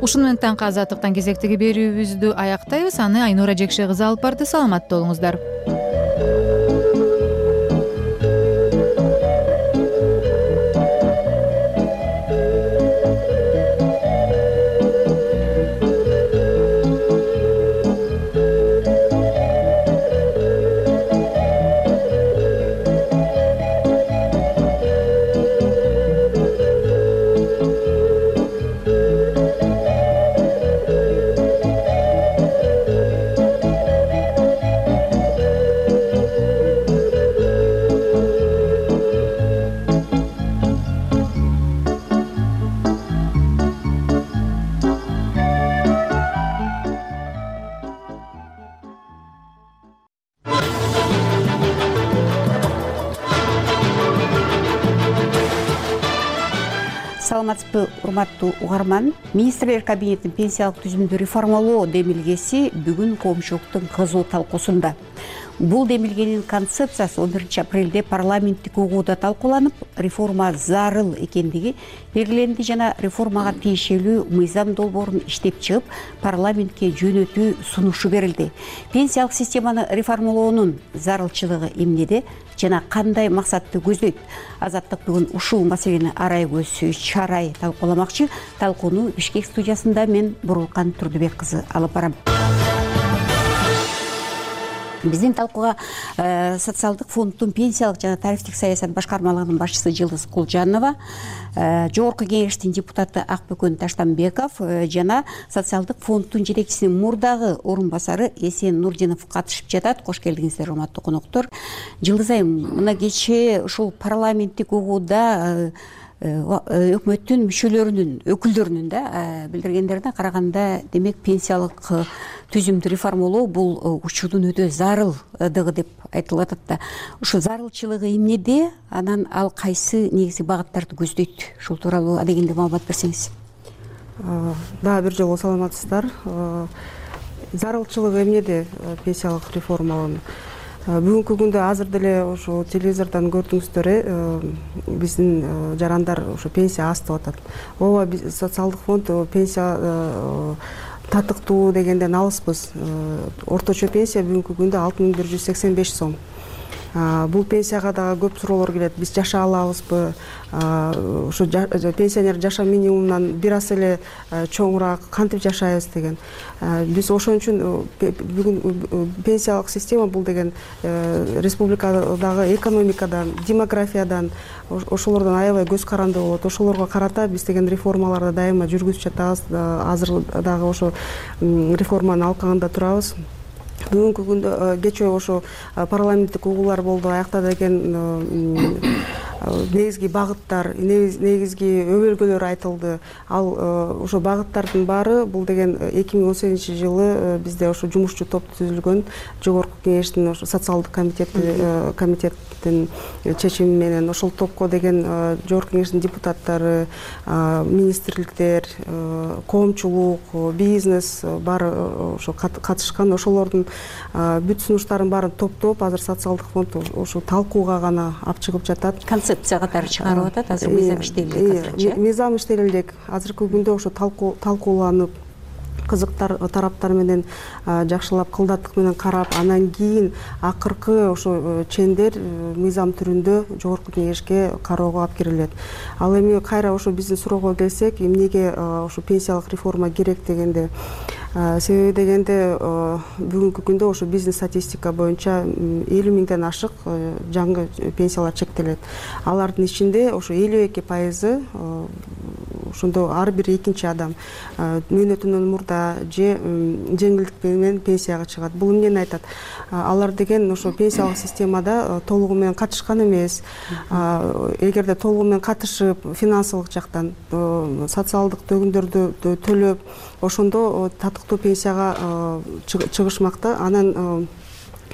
Ушуну менен таңкы азаттыктан кезектеги берүүбүздү аяктайбыз. Аны Айнура Жекше кызы алып барды. Саламатта болуңуздар. Саламатсызбы, урматтуу угарман. Министрлер кабинетинин пенсиялык түзүмдү реформалоо демилгеси бүгүн коомчулуктун кызуу талкуусунда. Бул демилгенин концепциясы он биринчи апрелде парламенттик угууда талкууланып, реформа зарыл экендиги белгиленди жана реформага тиешелүү мыйзам долбоорун иштеп чыгып, парламентке жөнөтүү сунушу берилди. Пенсиялык системаны реформалоонун зарылчылыгы эмнеде жана кандай максатты көздөйт? Азаттык бүгүн ушул маселени арай көз чарай талкууламакчы. Талкууну Бишкек студиясында мен Бурулкан Турдубек кызы алып барам. Биздин талкууга социалдык фонддун пенсиялык жана тарифтик саясат башкармалыгынын башчысы Жылдыз Кулжанова, жогорку кеңештин депутаты Акбөкөн Таштанбеков жана социалдык фонддун жетекчисинин мурдагы орун басары Эсен Нурдинов катышып жатат. Кош келдиңиздер, урматтуу коноктор. Жылдыз айым, мына кечээ ушул парламенттик угууда өкмөттүн мүчөлөрүнүн өкүлдөрүнүн да билдиргендерине караганда, демек пенсиялык түзүмдү реформалоо бул учурдун өтө зарылдыгы деп айтылып атат да. Ушу зарылчылыгы эмнеде, анан ал кайсы негизги багыттарды көздөйт? Ушул тууралуу адегенде маалымат берсеңиз. Дагы бир жолу саламатсыздар. Зарылчылыгы эмнеде пенсиялык реформалоонун? Бүгүнкү күндө азыр деле ошо телевизордон көрдүңүздөр, биздин жарандар ошо пенсия аз деп атат. Ооба, социалдык фонд пенсия татыктуу дегенден алыспыз. Орточо пенсия бүгүнкү күндө алты миң бир жүз сексен беш сом. Бул пенсияга дагы көп суроолор келет. Биз жашай алабызбы? Ошо пенсионер жаша минимумунан бир аз эле чоңураак кантип жашайбыз деген. Биз ошон үчүн бүгүн пенсиялык система бул деген республикадагы экономикадан, демографиядан, ошолордон аябай көз каранды болот. Ошолорго карата биз деген реформаларды дайыма жүргүзүп жатабыз. Азыр дагы ошо реформанын алкагында турабыз. Бүгүнкү күндө кечээ ошо парламенттик угуулар болду, аякта деген негизги багыттар, негизги өбөлгөлөр айтылды. Ал ошо багыттардын баары бул деген эки миң он сегизинчи жылы бизде ошо жумушчу топ түзүлгөн, жогорку кеңештин ошо социалдык комитети комитеттин чечими менен ошол топко деген жогорку кеңештин депутаттары, министрликтер, коомчулук, бизнес баары ошо катышкан. Ошолордун бүт сунуштарын баарын топтоп, азыр социалдык фонд ошо талкууга гана алып чыгып жатат. Концепция катары чыгарып атат, азыр мыйзам иштелди азырчы. Мыйзам иштелди элек. Азыркы күндө ошо талкууланып, кызыктар тараптар менен жакшылап, кылдаттык менен карап, анан кийин акыркы ошо чендер мыйзам түрүндө жогорку кеңешке кароого алып кирилет. Ал эми кайра ошо биздин суроого келсек, эмнеге ошо пенсиялык реформа керек дегенде, себеби дегенде бүгүнкү күндө ошо биздин статистика боюнча элүү миңден ашык жаңы пенсиялар чектелет. Алардын ичинде ошо элүү эки пайызы ошондо ар бир экинчи адам мөөнөтүнөн мурда же жеңилдик менен пенсияга чыгат. Бул эмнени айтат? Алар деген ошо пенсиялык системада толугу менен катышкан эмес. Эгерде толугу менен катышып, финансылык жактан социалдык төгүндөрдү төлөп, ошондо татыктуу пенсияга чыгышмакта. Анан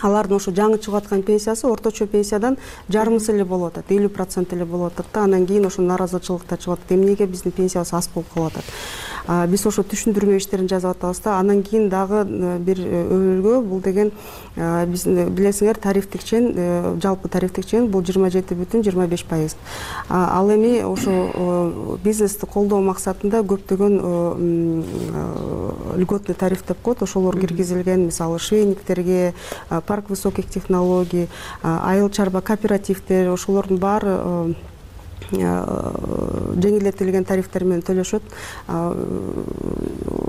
алардын ошо жаңы чыгып аткан пенсиясы орточо пенсиядан жарымысы эле болуп атат, элүү процент эле болуп атат да. Анан кийин ошо нааразычылыктар чыгып атат. Эмнеге биздин пенсиябыз аз болуп калып атат? Биз ошо түшүндүрмө иштерин жазып атабыз да. Анан кийин дагы бир өбөлгө бул деген биз билесиңер тарифтик чен, жалпы тарифтик чен бул жыйырма жети бүтүн жыйырма беш пайыз. Ал эми ошо бизнести колдоо максатында көптөгөн льготный тариф деп коет, ошолор киргизилген. Мисалы швейниктерге, парк высоких технологий, айыл чарба кооперативдер, ошолордун баары жеңилдетилген тарифтер менен төлөшөт.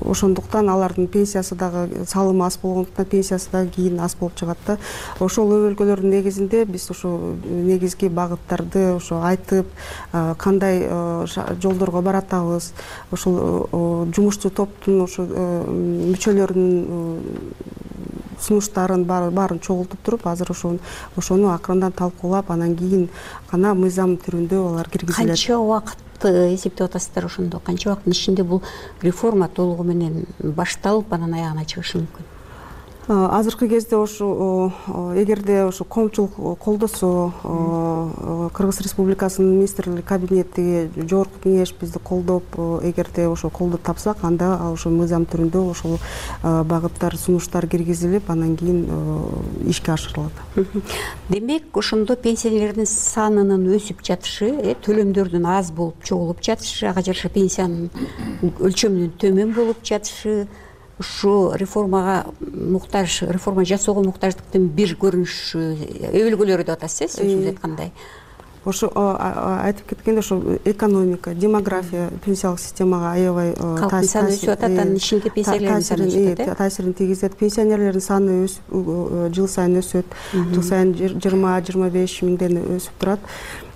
Ошондуктан алардын пенсиясы дагы салымы аз болгондуктан пенсиясы дагы кийин аз болуп чыгат да. Ошол өбөлгөлөрдүн негизинде биз ошо негизги багыттарды ошо айтып, кандай жолдорго баратабыз, ошол жумушчу топтун ошо мүчөлөрүнүн сунуштарын баарын чогултуп туруп, азыр ошону ошону акырындан талкуулап, анан кийин гана мыйзам түрүндө алар киргизилет. Канча убакытты эсептеп атасыздар ошондо? Канча убакыттын ичинде бул реформа толугу менен башталып, анан аягына чыгышы мүмкүн? Азыркы кезде ошо эгерде ошо коомчулук колдосо, Кыргыз Республикасынын министрлик кабинети, жогорку кеңеш бизди колдоп, эгерде ошо колдоп тапсак, анда ошо мыйзам түрүндө ошол багыттар, сунуштар киргизилип, анан кийин ишке ашырылат. Демек, ошондо пенсионерлердин санынын өсүп жатышы, төлөмдөрдүн аз болуп чогулуп жатышы, ага жараша пенсиянын өлчөмүнүн төмөн болуп жатышы, ушу реформага муктаж, реформа жасоого муктаждыктын бир көрүнүшү, өбөлгөлөрү деп атасыз, сөзүңүз айткандай. Ошо айтып кеткенде ошо экономика, демография пенсиялык системага аябай калктын саны өсүп атат, анын ичинде пенсионерлердин саны өсүп атат. Таасирин тийгизет. Пенсионерлердин саны өсүп, жыл сайын өсөт. Жыл сайын жыйырма жыйырма беш миңден өсүп турат.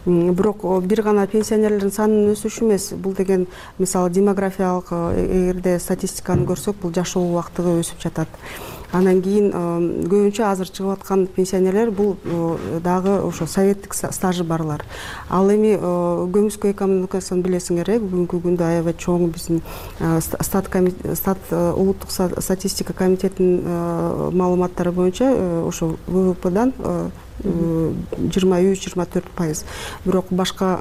Бирок бир гана пенсионерлердин санынын өсүшү эмес, бул деген мисалы демографиялык эгерде статистиканы көрсөк, бул жашоо убактыгы өсүп жатат. Анан кийин көбүнчө азыр чыгып аткан пенсионерлер бул дагы ошо советтик стажы барлар. Ал эми көмүскө экономикасын билесиңер, бүгүнкү күндө аябай чоң биздин стат улуттук статистика комитетинин маалыматтары боюнча ошо вэ вэ пэдан жыйырма үч жыйырма төрт пайыз. Бирок башка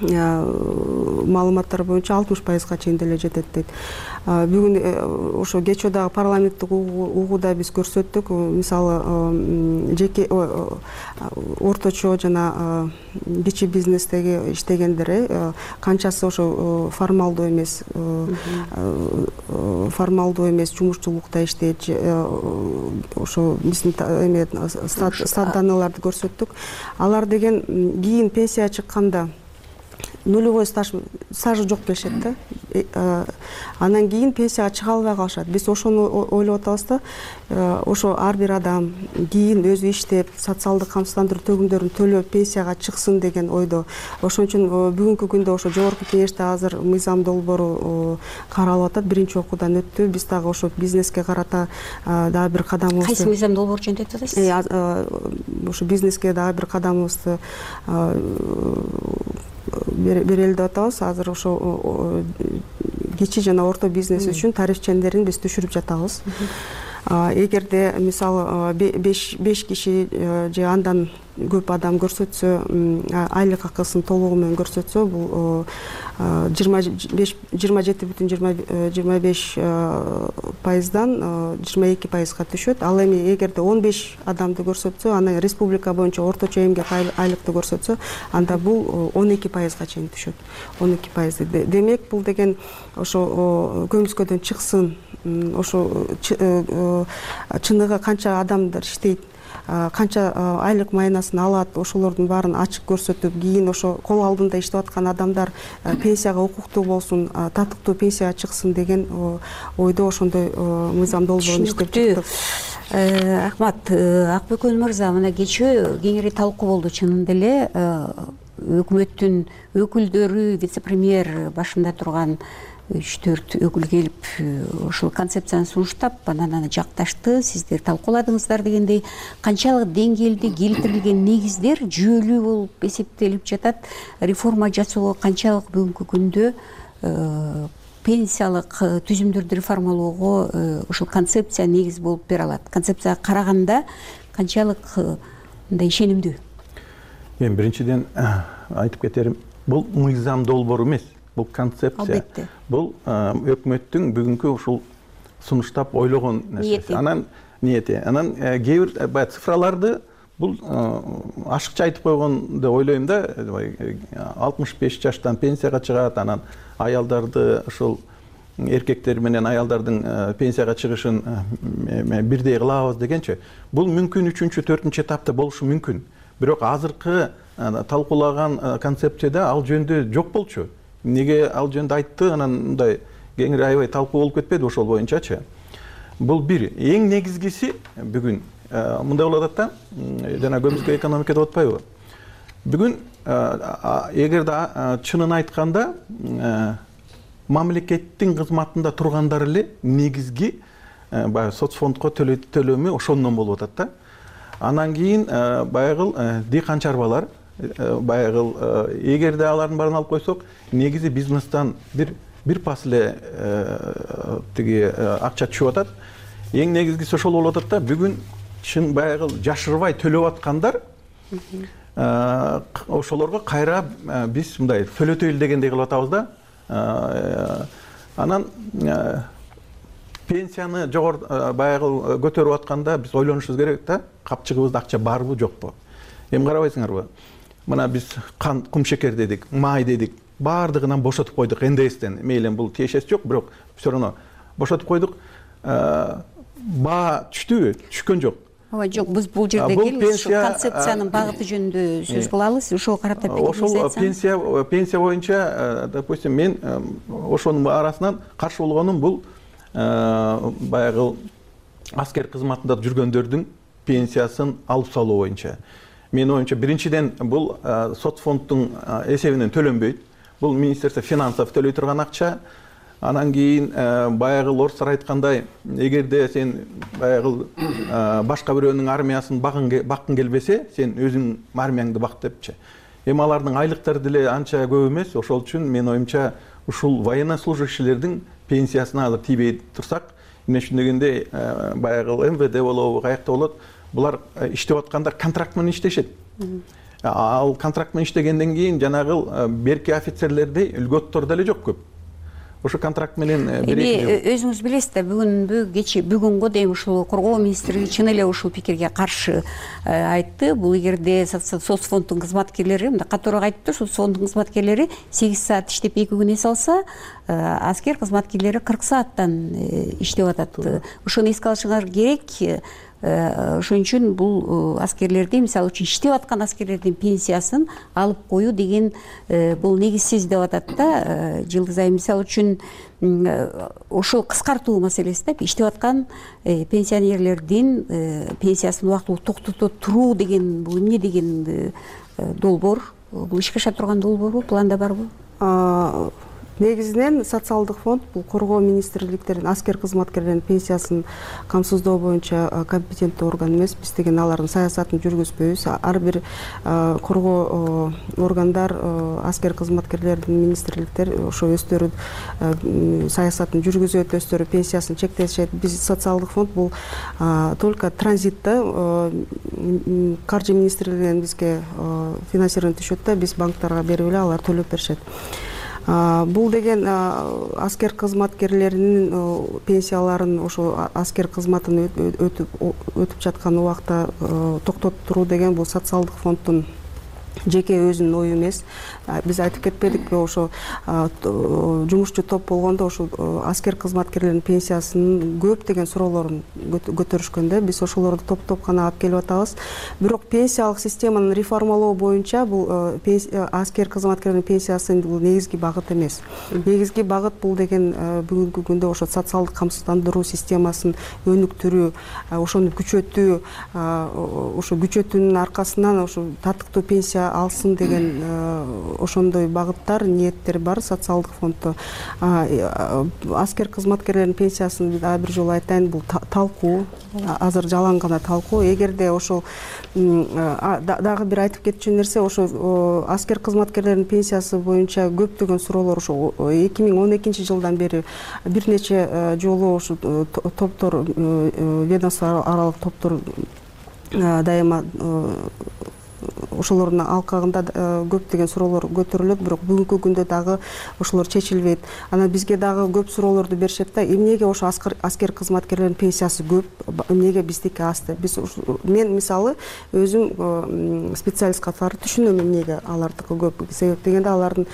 маалыматтар боюнча алтымыш пайызга чейин деле жетет дейт. Бүгүн ошо кечээ дагы парламенттик угууда биз көрсөттүк, мисалы жеке орточо жана кичи бизнестеги иштегендер канчасы ошо формалдуу эмес формалдуу эмес жумушчулукта иштейт, ошо биздин эме стат данныйларды көрсөттүк. Алар деген кийин пенсияга чыкканда нулевой стаж стажы жок келишет да. Анан кийин пенсияга чыга албай калышат. Биз ошону ойлоп атабыз да. Ошо ар бир адам кийин өзү иштеп, социалдык камсыздандыруу төгүмдөрүн төлөп пенсияга чыксын деген ойдо. Ошон үчүн бүгүнкү күндө ошо жогорку кеңеште азыр мыйзам долбоору каралып атат. Биринчи окуудан өттү. Биз дагы ошо бизнеске карата дагы бир кадамыбызды. Кайсы мыйзам долбоору жөнүндө айтып атасыз? Ошо бизнеске дагы бир кадамыбызды берели деп атабыз. Азыр ошо кичи жана орто бизнес үчүн тариф чендерин биз түшүрүп жатабыз. Эгерде мисалы беш киши же андан көп адам көрсөтсө, айлык акысын толугу менен көрсөтсө, бул жыйырма жети бүтүн жыйырма беш пайыздан жыйырма эки пайызга түшөт. Ал эми эгерде он беш адамды көрсөтсө, анан республика боюнча орточо эмгек айлыкты көрсөтсө, анда бул он эки пайызга чейин түшөт. он эки пайыз. Демек, бул деген ошо көмүскөдөн чыксын, ошо чыныгы канча адамдар иштейт, канча айлык майнасын алат, ошолордун баарын ачык көрсөтүп, кийин ошо кол алдында иштеп аткан адамдар пенсияга укуктуу болсун, татыктуу пенсияга чыксын деген ойдо ошондой мыйзам долбоорун иштеп чыктык. Рахмат, Акбөкөн мырза, мына кечээ кеңири талкуу болду. Чынында эле өкмөттүн өкүлдөрү, вице-премьер башында турган үч төрт өкүл келип ушул концепцияны сунуштап, анан аны жакташты, сиздер талкууладыңыздар дегендей, канчалык деңгээлде келтирилген негиздер жүйөлүү болуп эсептелип жатат, реформа жасоого канчалык бүгүнкү күндө пенсиялык түзүмдөрдү реформалоого ушул концепция негиз болуп бере алат? Концепцияга караганда канчалык мындай ишенимдүү? Эми биринчиден айтып кетерим, бул мыйзам долбоор эмес, бул концепция. Албетте. Бул өкмөттүн бүгүнкү ушул сунуштап ойлогон нерсеси. Анан ниети. Анан кээ бир баягы цифраларды бул ашыкча айтып койгон деп ойлойм да. алтымыш беш жаштан пенсияга чыгат, анан аялдарды ушул эркектер менен аялдардын пенсияга чыгышын бирдей кылабыз дегенчи. Бул мүмкүн үчүнчү, төртүнчү этапта болушу мүмкүн. Бирок азыркы талкуулаган концепцияда ал жөнүндө жок болчу. Неге ал жөнүндө айтты, анан мындай кеңири аябай талкуу болуп кетпеди ошол боюнчачы. Бул бир. Эң негизгиси бүгүн мындай болуп атат да, жана көмүскө экономикада деп атпайбы? Бүгүн эгерде чынын айтканда мамлекеттин кызматында тургандар эле негизги баягы соцфондко төлөмү ошондон болуп атат да. Анан кийин баягы дыйкан чарбалар, баягы эгерде алардын баарын алып койсок, негизи бизнестен бир бир пас эле тиги акча түшүп атат. Эң негизгиси ошол болуп атат да. Бүгүн чын баягы жашырбай төлөп аткандар ошолорго кайра биз мындай төлөтөйлү дегендей кылып атабыз да. Анан пенсияны жогору баягы көтөрүп атканда биз ойлонушубуз керек да. Капчыгыбызда акча барбы, жокпу? Эми карабайсыңарбы? Мына биз кан, кум шекер дедик, май дедик. Бардыгынан бошотуп койдук эн дэ эстен. Мейлен бул тиешеси жок, бирок все равно бошотуп койдук. Баа түштүбү? Түшкөн жок. Ооба, жок, биз бул жерде келип ушу концепциянын багыты жөнүндө сөз кылабыз. Ошого карата пикириңизди айтсаңыз. Ошол пенсия пенсия боюнча, допустим, мен ошонун арасынан каршы болгонум бул баягы аскер кызматында жүргөндөрдүн пенсиясын алып салуу боюнча. Менин оюмча, биринчиден бул соцфонддун эсебинен төлөнбөйт. Бул Министерство финансов төлөй турган акча. Анан кийин баягы орустар айткандай, эгерде сен баягы башка бирөөнүн армиясын баккың келбесе, сен өзүң армияңды бак депчи. Эми алардын айлыктары деле анча көп эмес. Ошол үчүн менин оюмча, ушул военнослужащийлердин пенсиясына азыр тийбей турсак, эмне үчүн дегенде баягы эм вэ дэ болобу, каякта болот, булар иштеп аткандар контракт менен иштешет. Ал контракт менен иштегенден кийин жанагы берки офицерлердей үлгөттөр деле жок көп. Ошо контракт менен эми өзүңүз билесиз да, бүгүнкү кече бүгүнгө дейин ушул коргоо министрлиги чын эле ушул пикирге каршы айтты. Бул эгерде соцфонддун кызматкерлери, мындай катуураак айтыптыр, соцфонддун кызматкерлери сегиз саат иштеп эки күн эс алса, аскер кызматкерлери кырк сааттан иштеп атат. Ошону эске алышыңар керек. Ошон үчүн бул аскерлерди, мисалы үчүн иштеп аткан аскерлердин пенсиясын алып коюу деген бул негизсиз деп атат да. Жылдыз айым, мисалы үчүн ошол кыскартуу маселеси да, иштеп аткан пенсионерлердин пенсиясын убактылуу токтото туруу деген бул эмне деген долбоор? Бул ишке аша турган долбоорбу, планда барбы? Негизинен социалдык фонд бул коргоо министрликтерин аскер кызматкерлеринин пенсиясын камсыздоо боюнча компетенттүү орган эмес. Биз деген алардын саясатын жүргүзбөйбүз. Ар бир коргоо органдар, аскер кызматкерлердин министрликтер ошо өздөрү саясатын жүргүзөт, өздөрү пенсиясын чектешет. Биз социалдык фонд бул только транзитте каржы министрлигинен бизге финансирование түшөт да, биз банктарга берип эле алар төлөп беришет. Бул деген аскер кызматкерлеринин пенсияларын ошо аскер кызматын өтүп өтүп жаткан убакта токтотуп туруу деген бул социалдык фонддун жеке өзүнүн ою эмес. Биз айтып кетпедикпи, ошо жумушчу топ болгондо ошо аскер кызматкерлеринин пенсиясынын көптөгөн суроолорун көтөрүшкөндө биз ошолорду топ-топ гана алып келип атабыз. Бирок пенсиялык системаны реформалоо боюнча бул аскер кызматкерлеринин пенсиясы бул негизги багыт эмес. Негизги багыт бул деген бүгүнкү күндө ошо социалдык камсыздандыруу системасын өнүктүрүү, ошону күчөтүү, ошо күчөтүүнүн аркасынан ошо татыктуу пенсия пенсия алсын деген ошондой багыттар, ниеттер бар социалдык фонддо. Аскер кызматкерлеринин пенсиясын дагы бир жолу айтайын, бул талкуу, азыр жалаң гана талкуу. Эгерде ошол дагы бир айтып кетчү нерсе, ошо аскер кызматкерлеринин пенсиясы боюнча көптөгөн суроолор ошо эки миң он экинчи жылдан бери бир нече жолу ошо топтор, ведомство аралык топтор дайыма ошолордун алкагында көптөгөн суроолор көтөрүлөт, бирок бүгүнкү күндө дагы ошолор чечилбейт. Анан бизге дагы көп суроолорду беришет да, эмнеге ошо аскер кызматкерлеринин пенсиясы көп, эмнеге биздики аз деп. Биз мен мисалы өзүм специалист катары түшүнөм эмнеге алардыкы көп. Себеп дегенде алардын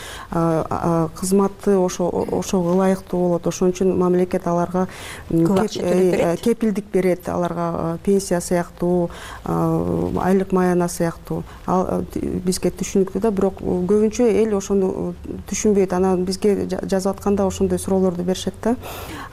кызматы ошо ошого ылайыктуу болот. Ошон үчүн мамлекет аларга кепилдик берет, аларга пенсия сыяктуу, айлык маяна сыяктуу. Ал бизге түшүнүктүү да, бирок көбүнчө эл ошону түшүнбөйт. Анан бизге жазып атканда ошондой суроолорду беришет да.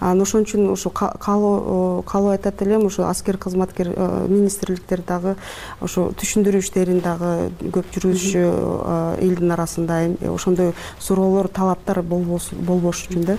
Анан ошон үчүн ошо калуу айтат элем, ошо аскер кызматкер министрликтер дагы ошо түшүндүрүү иштерин дагы көп жүргүзүшү элдин арасында, ошондой суроолор, талаптар болбош үчүн да.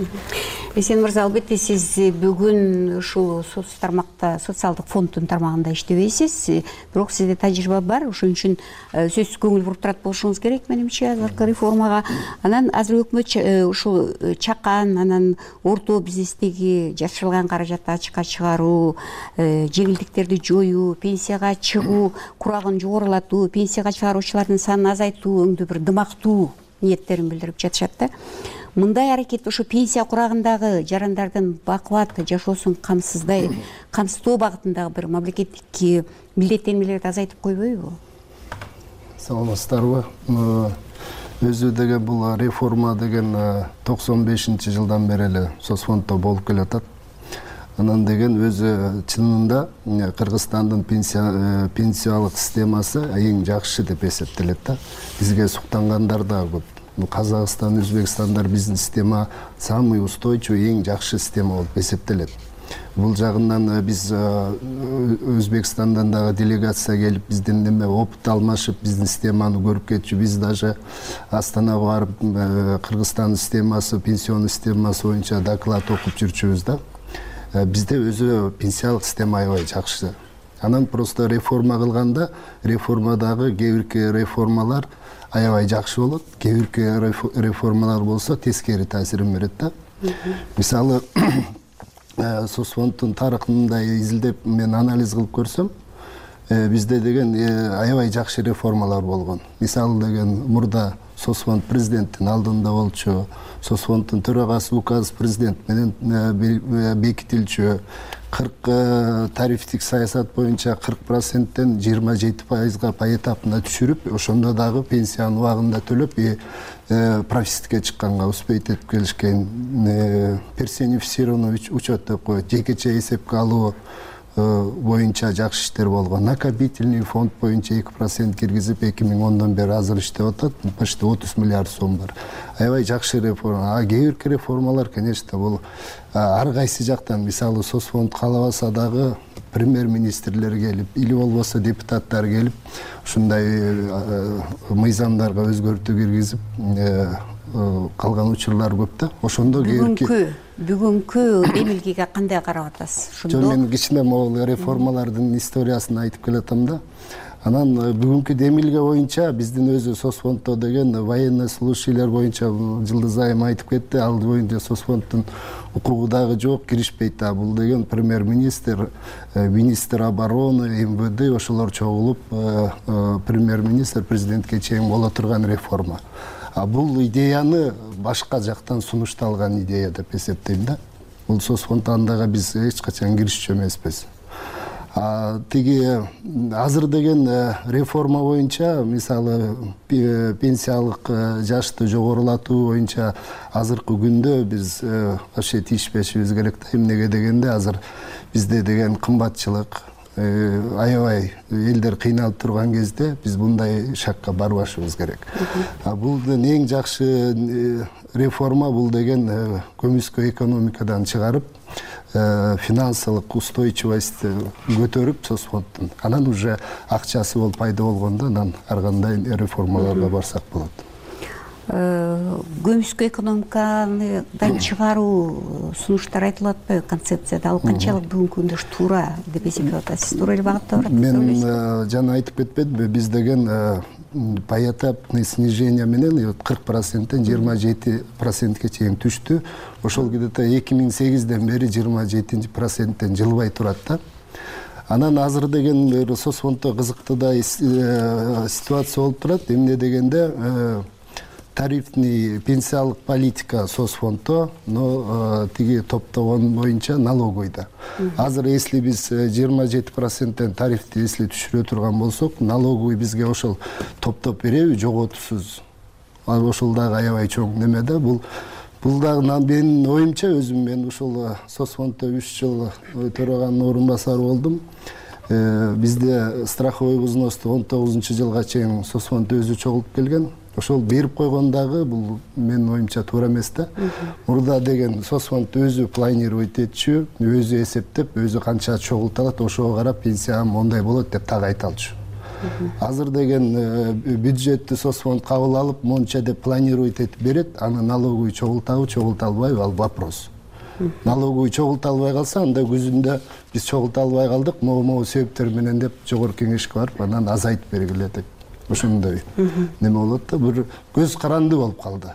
Эсен мырза, албетте сиз бүгүн ушул соц тармакта, социалдык фонддун тармагында иштебейсиз, бирок сизде тажрыйба бар. Ошон үчүн сөзсүз көңүл буруп турат болушуңуз керек, менимче, азыркы реформага. Анан азыр өкмөт ушул чакан, анан орто бизнестеги жашырылган каражатты ачыкка чыгаруу, жеңилдиктерди жоюу, пенсияга чыгуу курагын жогорулатуу, пенсияга чыгаруучулардын санын азайтуу өңдүү бир дымактуу ниеттерин билдирип жатышат да. Мындай аракет ошо пенсия курагындагы жарандардын бакубат жашоосун камсыздай, камсыздоо багытындагы бир мамлекеттик милдеттенмелерди азайтып койбойбу? Саламатсыздарбы? Өзү деген бул реформа деген токсон бешинчи жылдан бери эле соцфонддо болуп келатат. Анан деген өзү чынында Кыргызстандын пенсиялык системасы эң жакшы деп эсептелет да. Бизге суктангандар да көп. Казакстан, Өзбекстандар биздин система самый устойчивый, эң жакшы система болуп эсептелет. Бул жагынан биз Өзбекстандан дагы делегация келип, бизден неме опыт алмашып, биздин системаны көрүп кетчү. Биз даже Астанага барып Кыргызстандын системасы, пенсионный системасы боюнча доклад окуп жүрчүбүз да. Бизде өзү пенсиялык система аябай жакшы. Анан просто реформа кылганда, реформадагы кээ бирки реформалар аябай жакшы болот, кээ бирки реформалар болсо тескери таасирин берет да. Мисалы, соцфонддун тарыхында изилдеп мен анализ кылып көрсөм, бизде деген аябай жакшы реформалар болгон. Мисалы деген мурда соцфонд президенттин алдында болчу, соцфонддун төрагасы указ президент менен бекитилчү, кырк тарифтик саясат боюнча кырк проценттен жыйырма жети пайызга поэтапно түшүрүп, ошондо дагы пенсияны убагында төлөп, профицитке чыкканга успеть этип келишкен. Персонифицированный учет деп коет, жекече эсепке алуу боюнча жакшы иштер болгон. Накопительный фонд боюнча эки процент киргизип, эки миң ондон бери азыр иштеп атат, почти отуз миллиард сом бар. Аябай жакшы реформа. А кээ бирки реформалар, конечно, бул ар кайсы жактан, мисалы, соцфонд каалабаса дагы премьер-министрлер келип, или болбосо депутаттар келип, ушундай мыйзамдарга өзгөртүү киргизип калган учурлар көп да. Ошондо бүгүнкү бүгүнкү эмилгеге кандай карап атасыз? Жөн мен кичине могул реформалардын историясын айтып келатам да. Анан бүгүнкү демилге боюнча биздин өзү соцфонддо деген военный служащийлер боюнча Жылдыз айым айтып кетти, ал боюнча соцфонддун укугу дагы жок, киришпейт да. Бул деген премьер-министр, министр обороны, эм вэ дэ ошолор чогулуп премьер-министр президентке чейин боло турган реформа. А бул идеяны башка жактан сунушталган идея деп эсептейм да. Бул соцфонд андага биз эч качан киришчү эмеспиз. Тиги азыр деген реформа боюнча, мисалы, пенсиялык жашты жогорулатуу боюнча азыркы күндө биз вообще тийишпешибиз керек да. Эмнеге дегенде азыр бизде деген кымбатчылык, аябай элдер кыйналып турган кезде биз мындай шакка барбашыбыз керек. Бул эң жакшы реформа бул деген көмүскө экономикадан чыгарып, финансылык устойчивость көтөрүп соцфонддун анан уже акчасы болуп пайда болгондо анан ар кандай реформаларга барсак болот. Көмүскө экономикадан чыгаруу сунуштар айтылып атпайбы концепцияда, ал канчалык бүгүнкү күндө туура деп эсептеп атасыз? Туура эле багытта барат? Мен жана айтып кетпедимби, биз деген поэтапный снижение менен кырк проценттен жыйырма жети процентке чейин түштү. Ошол где-то эки миң сегизден бери жыйырма жети проценттен жылбай турат да. Анан азыр деген соцфонддо кызыктуу да ситуация болуп турат. Эмне дегенде тарифный пенсиялык политика соцфонддо, но тиги топтогон боюнча налоговыйда. Азыр если биз жыйырма жети проценттен тарифти если түшүрө турган болсок, налоговый бизге ошол топтоп береби, жоготусуз. Ошол дагы аябай чоң неме да. Бул бул дагы менин оюмча, өзүм мен ушул соцфонддо үч жыл төраганын орун басары болдум. Бизде страховой взносты он тогузунчу жылга чейин соцфонд өзү чогултуп келген. Ошол берип койгондагы бул менин оюмча туура эмес да. Мурда деген соцфонд өзү планировать этчү, өзү эсептеп, өзү канча чогулта алат, ошого карап пенсиям мондай болот деп так айта алчу. Азыр деген бюджетти соцфонд кабыл алып, монча деп планировать этип берет, аны налоговый чогултабы, чогулта албайбы, ал вопрос. Налоговый чогулта албай калса, анда күзүндө биз чогулта албай калдык, могу себептер менен деп жогорку кеңешке барып, анан азайтып бергиле деп. Ошондой неме болот да, бир көз каранды болуп калды.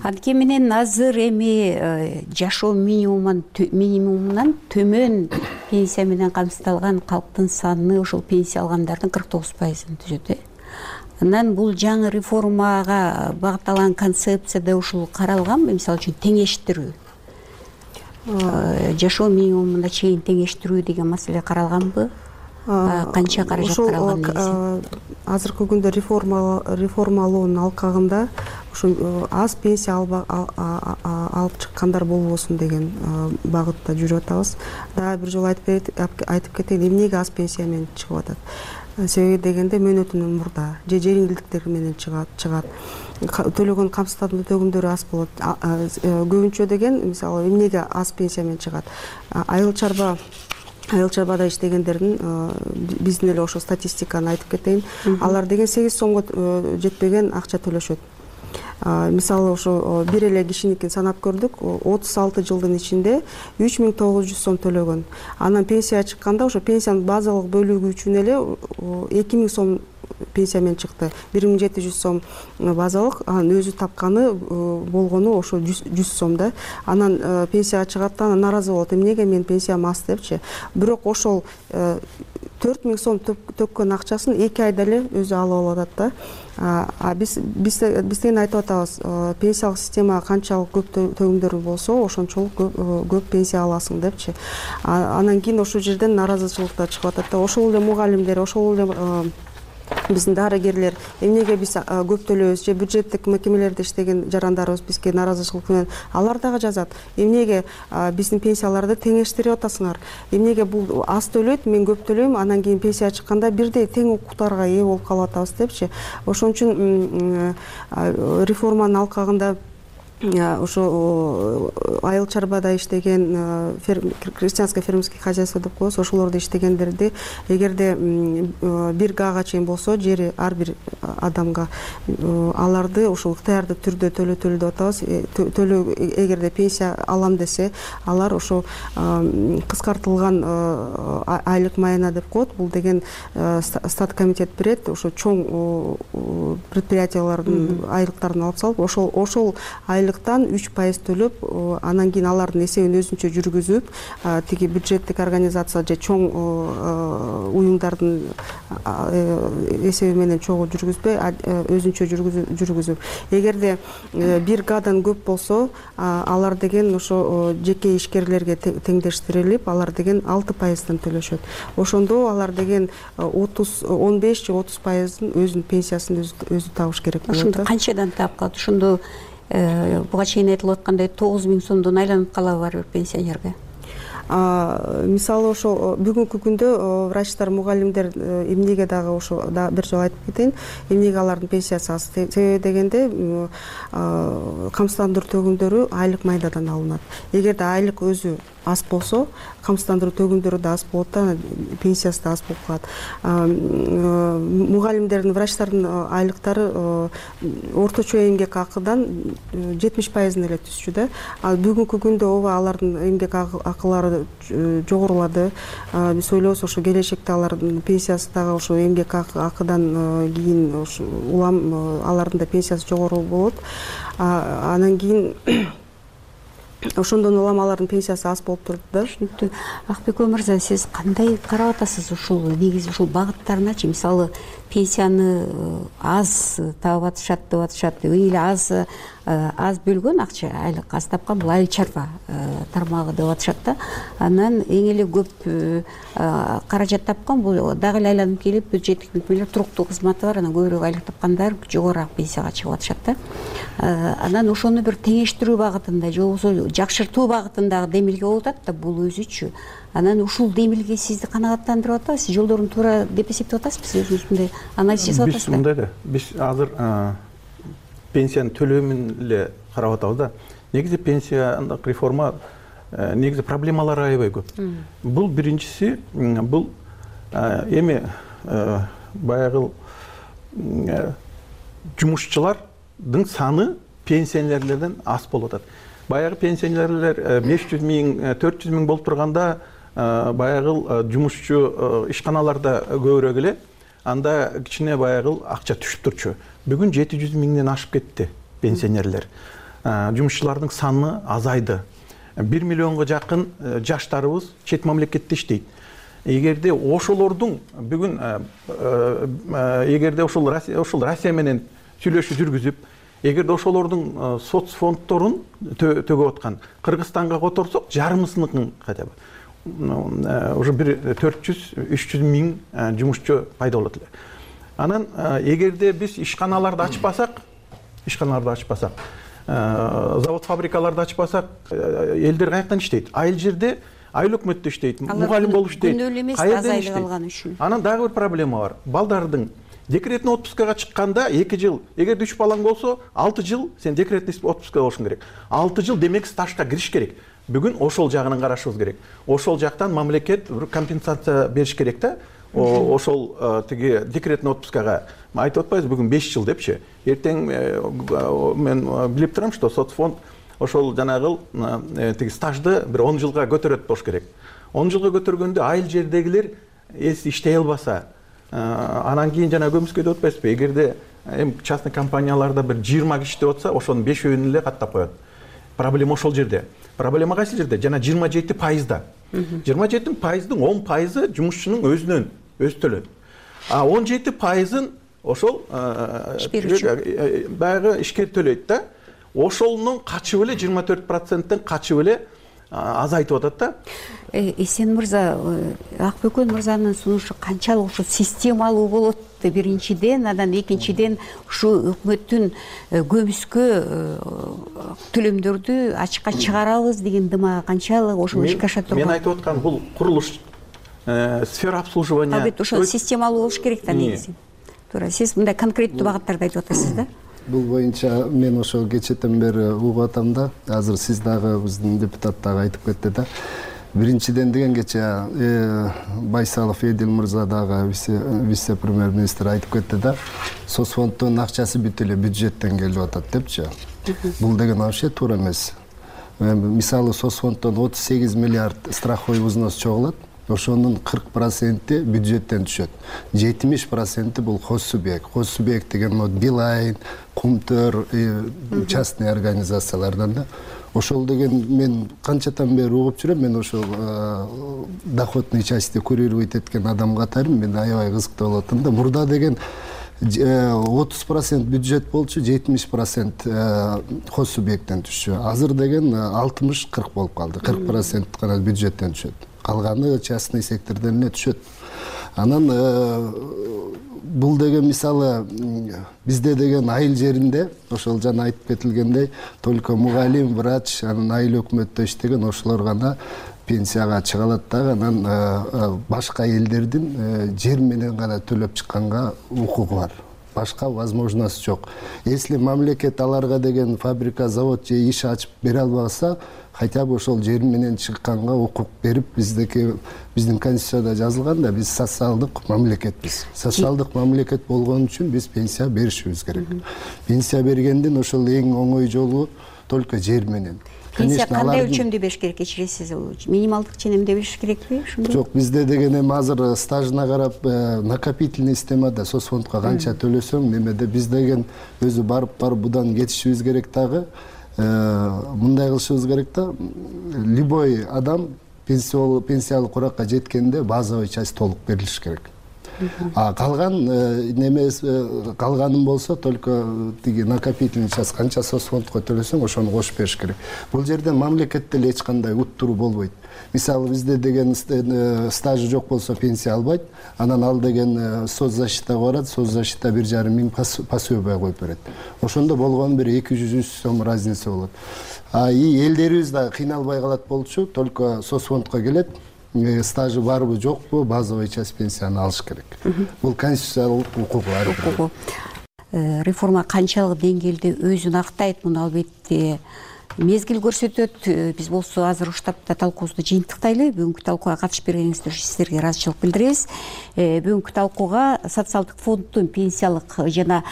Анткени менен азыр эми жашоо минимумунан минимумунан төмөн пенсия менен камсыздалган калктын саны ошол пенсия алгандардын кырк тогуз пайызын түзөт э. Анан бул жаңы реформага багытталган концепцияда ушул каралганбы? Мисалы үчүн теңештирүү, жашоо минимумуна чейин теңештирүү деген маселе каралганбы? Канча каражат каралган? Азыркы күндө реформа реформалоонун алкагында ушу аз пенсия алып чыккандар болбосун деген багытта жүрүп атабыз. Дагы бир жолу айтып кетейин, эмнеге аз пенсия менен чыгып атат? Себеби дегенде мөөнөтүнөн мурда же жеңилдиктер менен чыгат, чыгат. Төлөгөн камсыздандыруу төгүмдөрү аз болот. Көбүнчө деген мисалы эмнеге аз пенсия менен чыгат? Айыл чарба Айыл чарбада иштегендердин биздин эле ошо статистиканы айтып кетейин. Алар деген сегиз сомго жетпеген акча төлөшөт. Мисалы ошо бир эле кишиникин санап көрдүк, отуз алты жылдын ичинде үч миң тогуз жүз сом төлөгөн. Анан пенсия чыкканда ошо пенсиянын базалык бөлүгү үчүн эле эки миң сом пенсия менен чыкты. бир миң жети жүз сом базалык, анан өзү тапканы болгону ошо жүз сом да. Анан пенсияга чыгат да, нааразы болот. Эмнеге мен пенсиям аз депчи. Бирок ошол төрт миң сом төккөн акчасын эки айда эле өзү алып алат да. А биз биз бизден айтып атабыз, пенсиялык система канчалык көп төгүмдөр болсо, ошончолук көп пенсия аласың депчи. Анан кийин ошол жерден нааразычылыктар чыгып атат да. Ошол эле мугалимдер, ошол эле биздин дарыгерлер эмнеге биз көп төлөйбүз, же бюджеттик мекемелерде иштеген жарандарыбыз бизге нааразычылык менен алар дагы жазат. Эмнеге биздин пенсияларды теңештирип атасыңар? Эмнеге бул аз төлөйт, мен көп төлөйм, анан кийин пенсия чыкканда бирдей тең укуктарга ээ болуп калып атабыз депчи. Ошон үчүн реформанын алкагында ошо айыл чарбада иштеген крестьянско фермерский хозяйство деп коебуз, ошолордо иштегендерди эгерде бир гага чейин болсо жери ар бир адамга аларды ошол ыктыярдуу түрдө төлөтөлү деп атабыз. Төлөө эгерде пенсия алам десе, алар ошо кыскартылган айлык майына деп коет. Бул деген стат комитет берет, ошо чоң предприятиялардын айлыктарын алып салып, ошол ошол үч пайыз төлөп, анан кийин алардын эсебин өзүнчө жүргүзүп, тиги бюджеттик организация же чоң уюмдардын эсеби менен чогуу жүргүзбөй, өзүнчө жүргүзүп. Эгерде бир гадан көп болсо, алар деген ошо жеке ишкерлерге теңдештирилип, алар деген алты пайыздан төлөшөт. Ошондо алар деген отуз он беш же отуз пайыздын өзүнүн пенсиясын өзү табыш керек болот. Ошондо канчадан таап калат? Ошондо буга чейин айтылып аткандай тогуз миң сомдон айланып калабы ар бир пенсионерге? Мисалы ошо бүгүнкү күндө врачтар, мугалимдер эмнеге дагы ошо бир жолу айтып кетейин, эмнеге алардын пенсиясы аз? Себеби дегенде камсыздандыруу төгүмдөрү айлык майдадан алынат. Эгерде айлык өзү аз болсо камсыздандыруу төгүмдөрү да аз болот да, пенсиясы да аз болуп калат. Мугалимдердин, врачтардын айлыктары орточо эмгек акыдан жетимиш пайызын эле түзчү да. Ал бүгүнкү күндө ооба алардын эмгек акылары жогорулады. Биз ойлойбуз ошо келечекте алардын пенсиясы дагы ошо эмгек акыдан кийин улам алардын да пенсиясы жогору болот. Анан кийин ошондон улам алардын пенсиясы аз болуп турат да. Түшүнүктүү. Акбеков мырза, сиз кандай карап атасыз ушул негизи ушул багыттарыначы? Мисалы, пенсияны аз таап атышат деп атышат. Эң эле аз аз бөлгөн акча, айлык аз тапкан бул айыл чарба тармагы деп атышат да. Анан эң эле көп каражат тапкан бул дагы эле айланып келип бюджеттик мекемелер туруктуу кызматы бар, анан көбүрөөк айлык тапкандар жогорураак пенсияга чыгып атышат да. Анан ошону бир теңештирүү багытында же болбосо жакшыртуу багытындагы демилге болуп атат да, бул өзүчү. Анан ушул демилге сизди канааттандырып атабы? Сиз жолдорун туура деп эсептеп атасызбы? Сиз өзүңүз мындай анализ жасап атасызбы? Биз мындай да, биз азыр пенсиянын төлөмүн эле карап атабыз да. Негизи пенсияндык реформа негизи проблемалары аябай көп. Бул биринчиси, бул эми баягы жумушчулардын саны пенсионерлерден аз болуп атат. Баягы пенсионерлер беш жүз миң, төрт жүз миң болуп турганда баягы жумушчу ишканаларда көбүрөөк эле, анда кичине баягы акча түшүп турчу. Бүгүн жети жүз миңден ашып кетти пенсионерлер. Жумушчулардын саны азайды. бир миллионго жакын жаштарыбыз чет мамлекетте иштейт. Эгерде ошолордун бүгүн эгерде ошол ошол Россия менен сүйлөшүү жүргүзүп, эгерде ошолордун соц фонддорун төгөп аткан Кыргызстанга которсок, жарымысыныкын хотя бы уже бир төрт жүз үч жүз миң жумушчу пайда болот эле. Анан эгерде биз ишканаларды ачпасак, ишканаларды ачпасак, завод фабрикаларды ачпасак, элдер каяктан иштейт? Айыл жерде, айыл өкмөттө иштейт, мугалим болуп иштейт. Күнөөлүү эмес, аз айлык алган үчүн. Анан дагы бир проблема бар. Балдардын декретный отпускага чыкканда эки жыл, эгерде үч балаң болсо, алты жыл сен декретный отпускага болушуң керек. алты жыл демек стажга кириш керек. Бүгүн ошол жагынан карашыбыз керек. Ошол жактан мамлекет бир компенсация бериш керек да. Ошол тиги декретный отпускага айтып атпайбызбы, бүгүн беш жыл депчи. Эртең мен билип турам, что соцфонд ошол жанагы тиги стажды бир он жылга көтөрөт болуш керек. он жылга көтөргөндө айыл жердегилер эс иштей албаса, анан кийин жана көмүскө деп атпайсызбы? Эгерде эми частный компанияларда бир жыйырма киши деп атса, ошонун бешөөүн эле каттап коет. Проблема ошол жерде. Проблема кайсы жерде? Жана жыйырма жети пайызда. жыйырма жети пайыздын он пайызы жумушчунун өзүнөн өзү төлөйт. А он жети пайызын ошол баягы ишкер төлөйт да. Ошолунун качып эле жыйырма төрт проценттен качып эле азайтып атат да. Эсен мырза, Акбеков мырзанын сунушу канчалык ошо системалуу болот? Биринчиден, анан экинчиден ушу өкмөттүн көмүскө төлөмдөрдү ачыкка чыгарабыз деген дымагы канчалык ошо ишке аша турган? Мен айтып аткан бул курулуш, сфера обслуживания. Албетте ошо системалуу болуш керек да негизи. Туура, сиз мындай конкреттүү багыттарды айтып атасыз да? Бул боюнча мен ошол кечетен бери угуп атам да. Азыр сиз дагы биздин депутат дагы айтып кетти да. Биринчиден деген кече Байсалов Эдил мырза дагы вице премьер-министр айтып кетти да. Соцфонддун акчасы бүт эле бюджеттен келип атат депчи. Бул деген вообще туура эмес. Мисалы соцфонддон отуз сегиз миллиард страховой взнос чогулат. Ошонун кырк проценти бюджеттен түшөт. жетимиш проценти бул хос субъект. Хос субъект деген Билайн, Кумтөр, частный организациялардан да. Ошол деген мен канчадан бери угуп жүрөм, мен ошол доходный частьти курировать эткен адам катарым, мен аябай кызыктуу болот да. Мурда деген отуз процент бюджет болчу, жетимиш процент хос субъекттен түшчү. Азыр деген алтымыш кырк болуп калды. кырк процент гана бюджеттен түшөт. Калганы частный сектордон эле түшөт. Анан бул деген мисалы бизде деген айыл жеринде ошол жана айтып кетилгендей только мугалим, врач, анан айыл өкмөттө иштеген ошолор гана пенсияга чыга алат да. Анан башка элдердин жер менен гана төлөп чыкканга укугу бар. башка возможность жок. Если мамлекет аларга деген фабрика, завод же иш ачып бере албаса, хотя бы ошол жер менен чыкканга укук берип, биздики биздин конституцияда жазылган да, биз социалдык мамлекетпиз. Социалдык мамлекет болгон үчүн биз пенсия беришибиз керек. Пенсия бергендин ошол эң оңой жолу только жер менен. Пенсия кандай өлчөмдө бериш керек, кечиресиз? Минималдык ченемде бериш керекпи? Жок, бизде деген эми азыр стажына карап накопительный системада соцфондко канча төлөсөң, немеде биз деген өзү барып барып будан кетишибиз керек дагы. Мындай кылышыбыз керек да, любой адам пенсиялык уракка жеткенде базовый часть толук берилиш керек. А калган неме калганын болсо только тиги накопительный часть канча соцфондко төлөсөң ошону кошуп бериш керек. Бул жерден мамлекетте эле эч кандай уттуруу болбойт. Мисалы бизде деген стажы жок болсо пенсия албайт, анан ал деген соцзащитага барат, соцзащита бир жарым миң пособие коюп берет. Ошондо болгону бир эки жүз үч сом разница болот. А и элдерибиз да кыйналбай калат болчу, только соцфондко келет, стажы барбы жокпу, базовый часть пенсияны алыш керек. Бул конституциялык укугу. Реформа канчалык деңгээлде өзүн актайт, муну албетте мезгил көрсөтөт. Биз болсо азыр уштапта талкуубузду жыйынтыктайлы. Бүгүнкү талкууга катышып бергениңиз үчүн сиздерге ыраазычылык билдиребиз. Бүгүнкү талкууга социалдык фонддун пенсиялык жана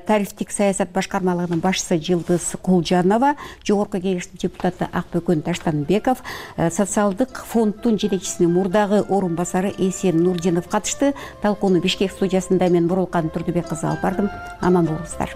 тарифтик саясат башкармалыгынын башчысы Жылдыз Кулжанова, жогорку кеңештин депутаты Акбөкөн Таштанбеков, социалдык фонддун жетекчисинин мурдагы орун басары Эсен Нурдинов катышты. Талкууну Бишкек студиясында мен Бурулкан Турдубек кызы алып бардым. Аман болуңуздар.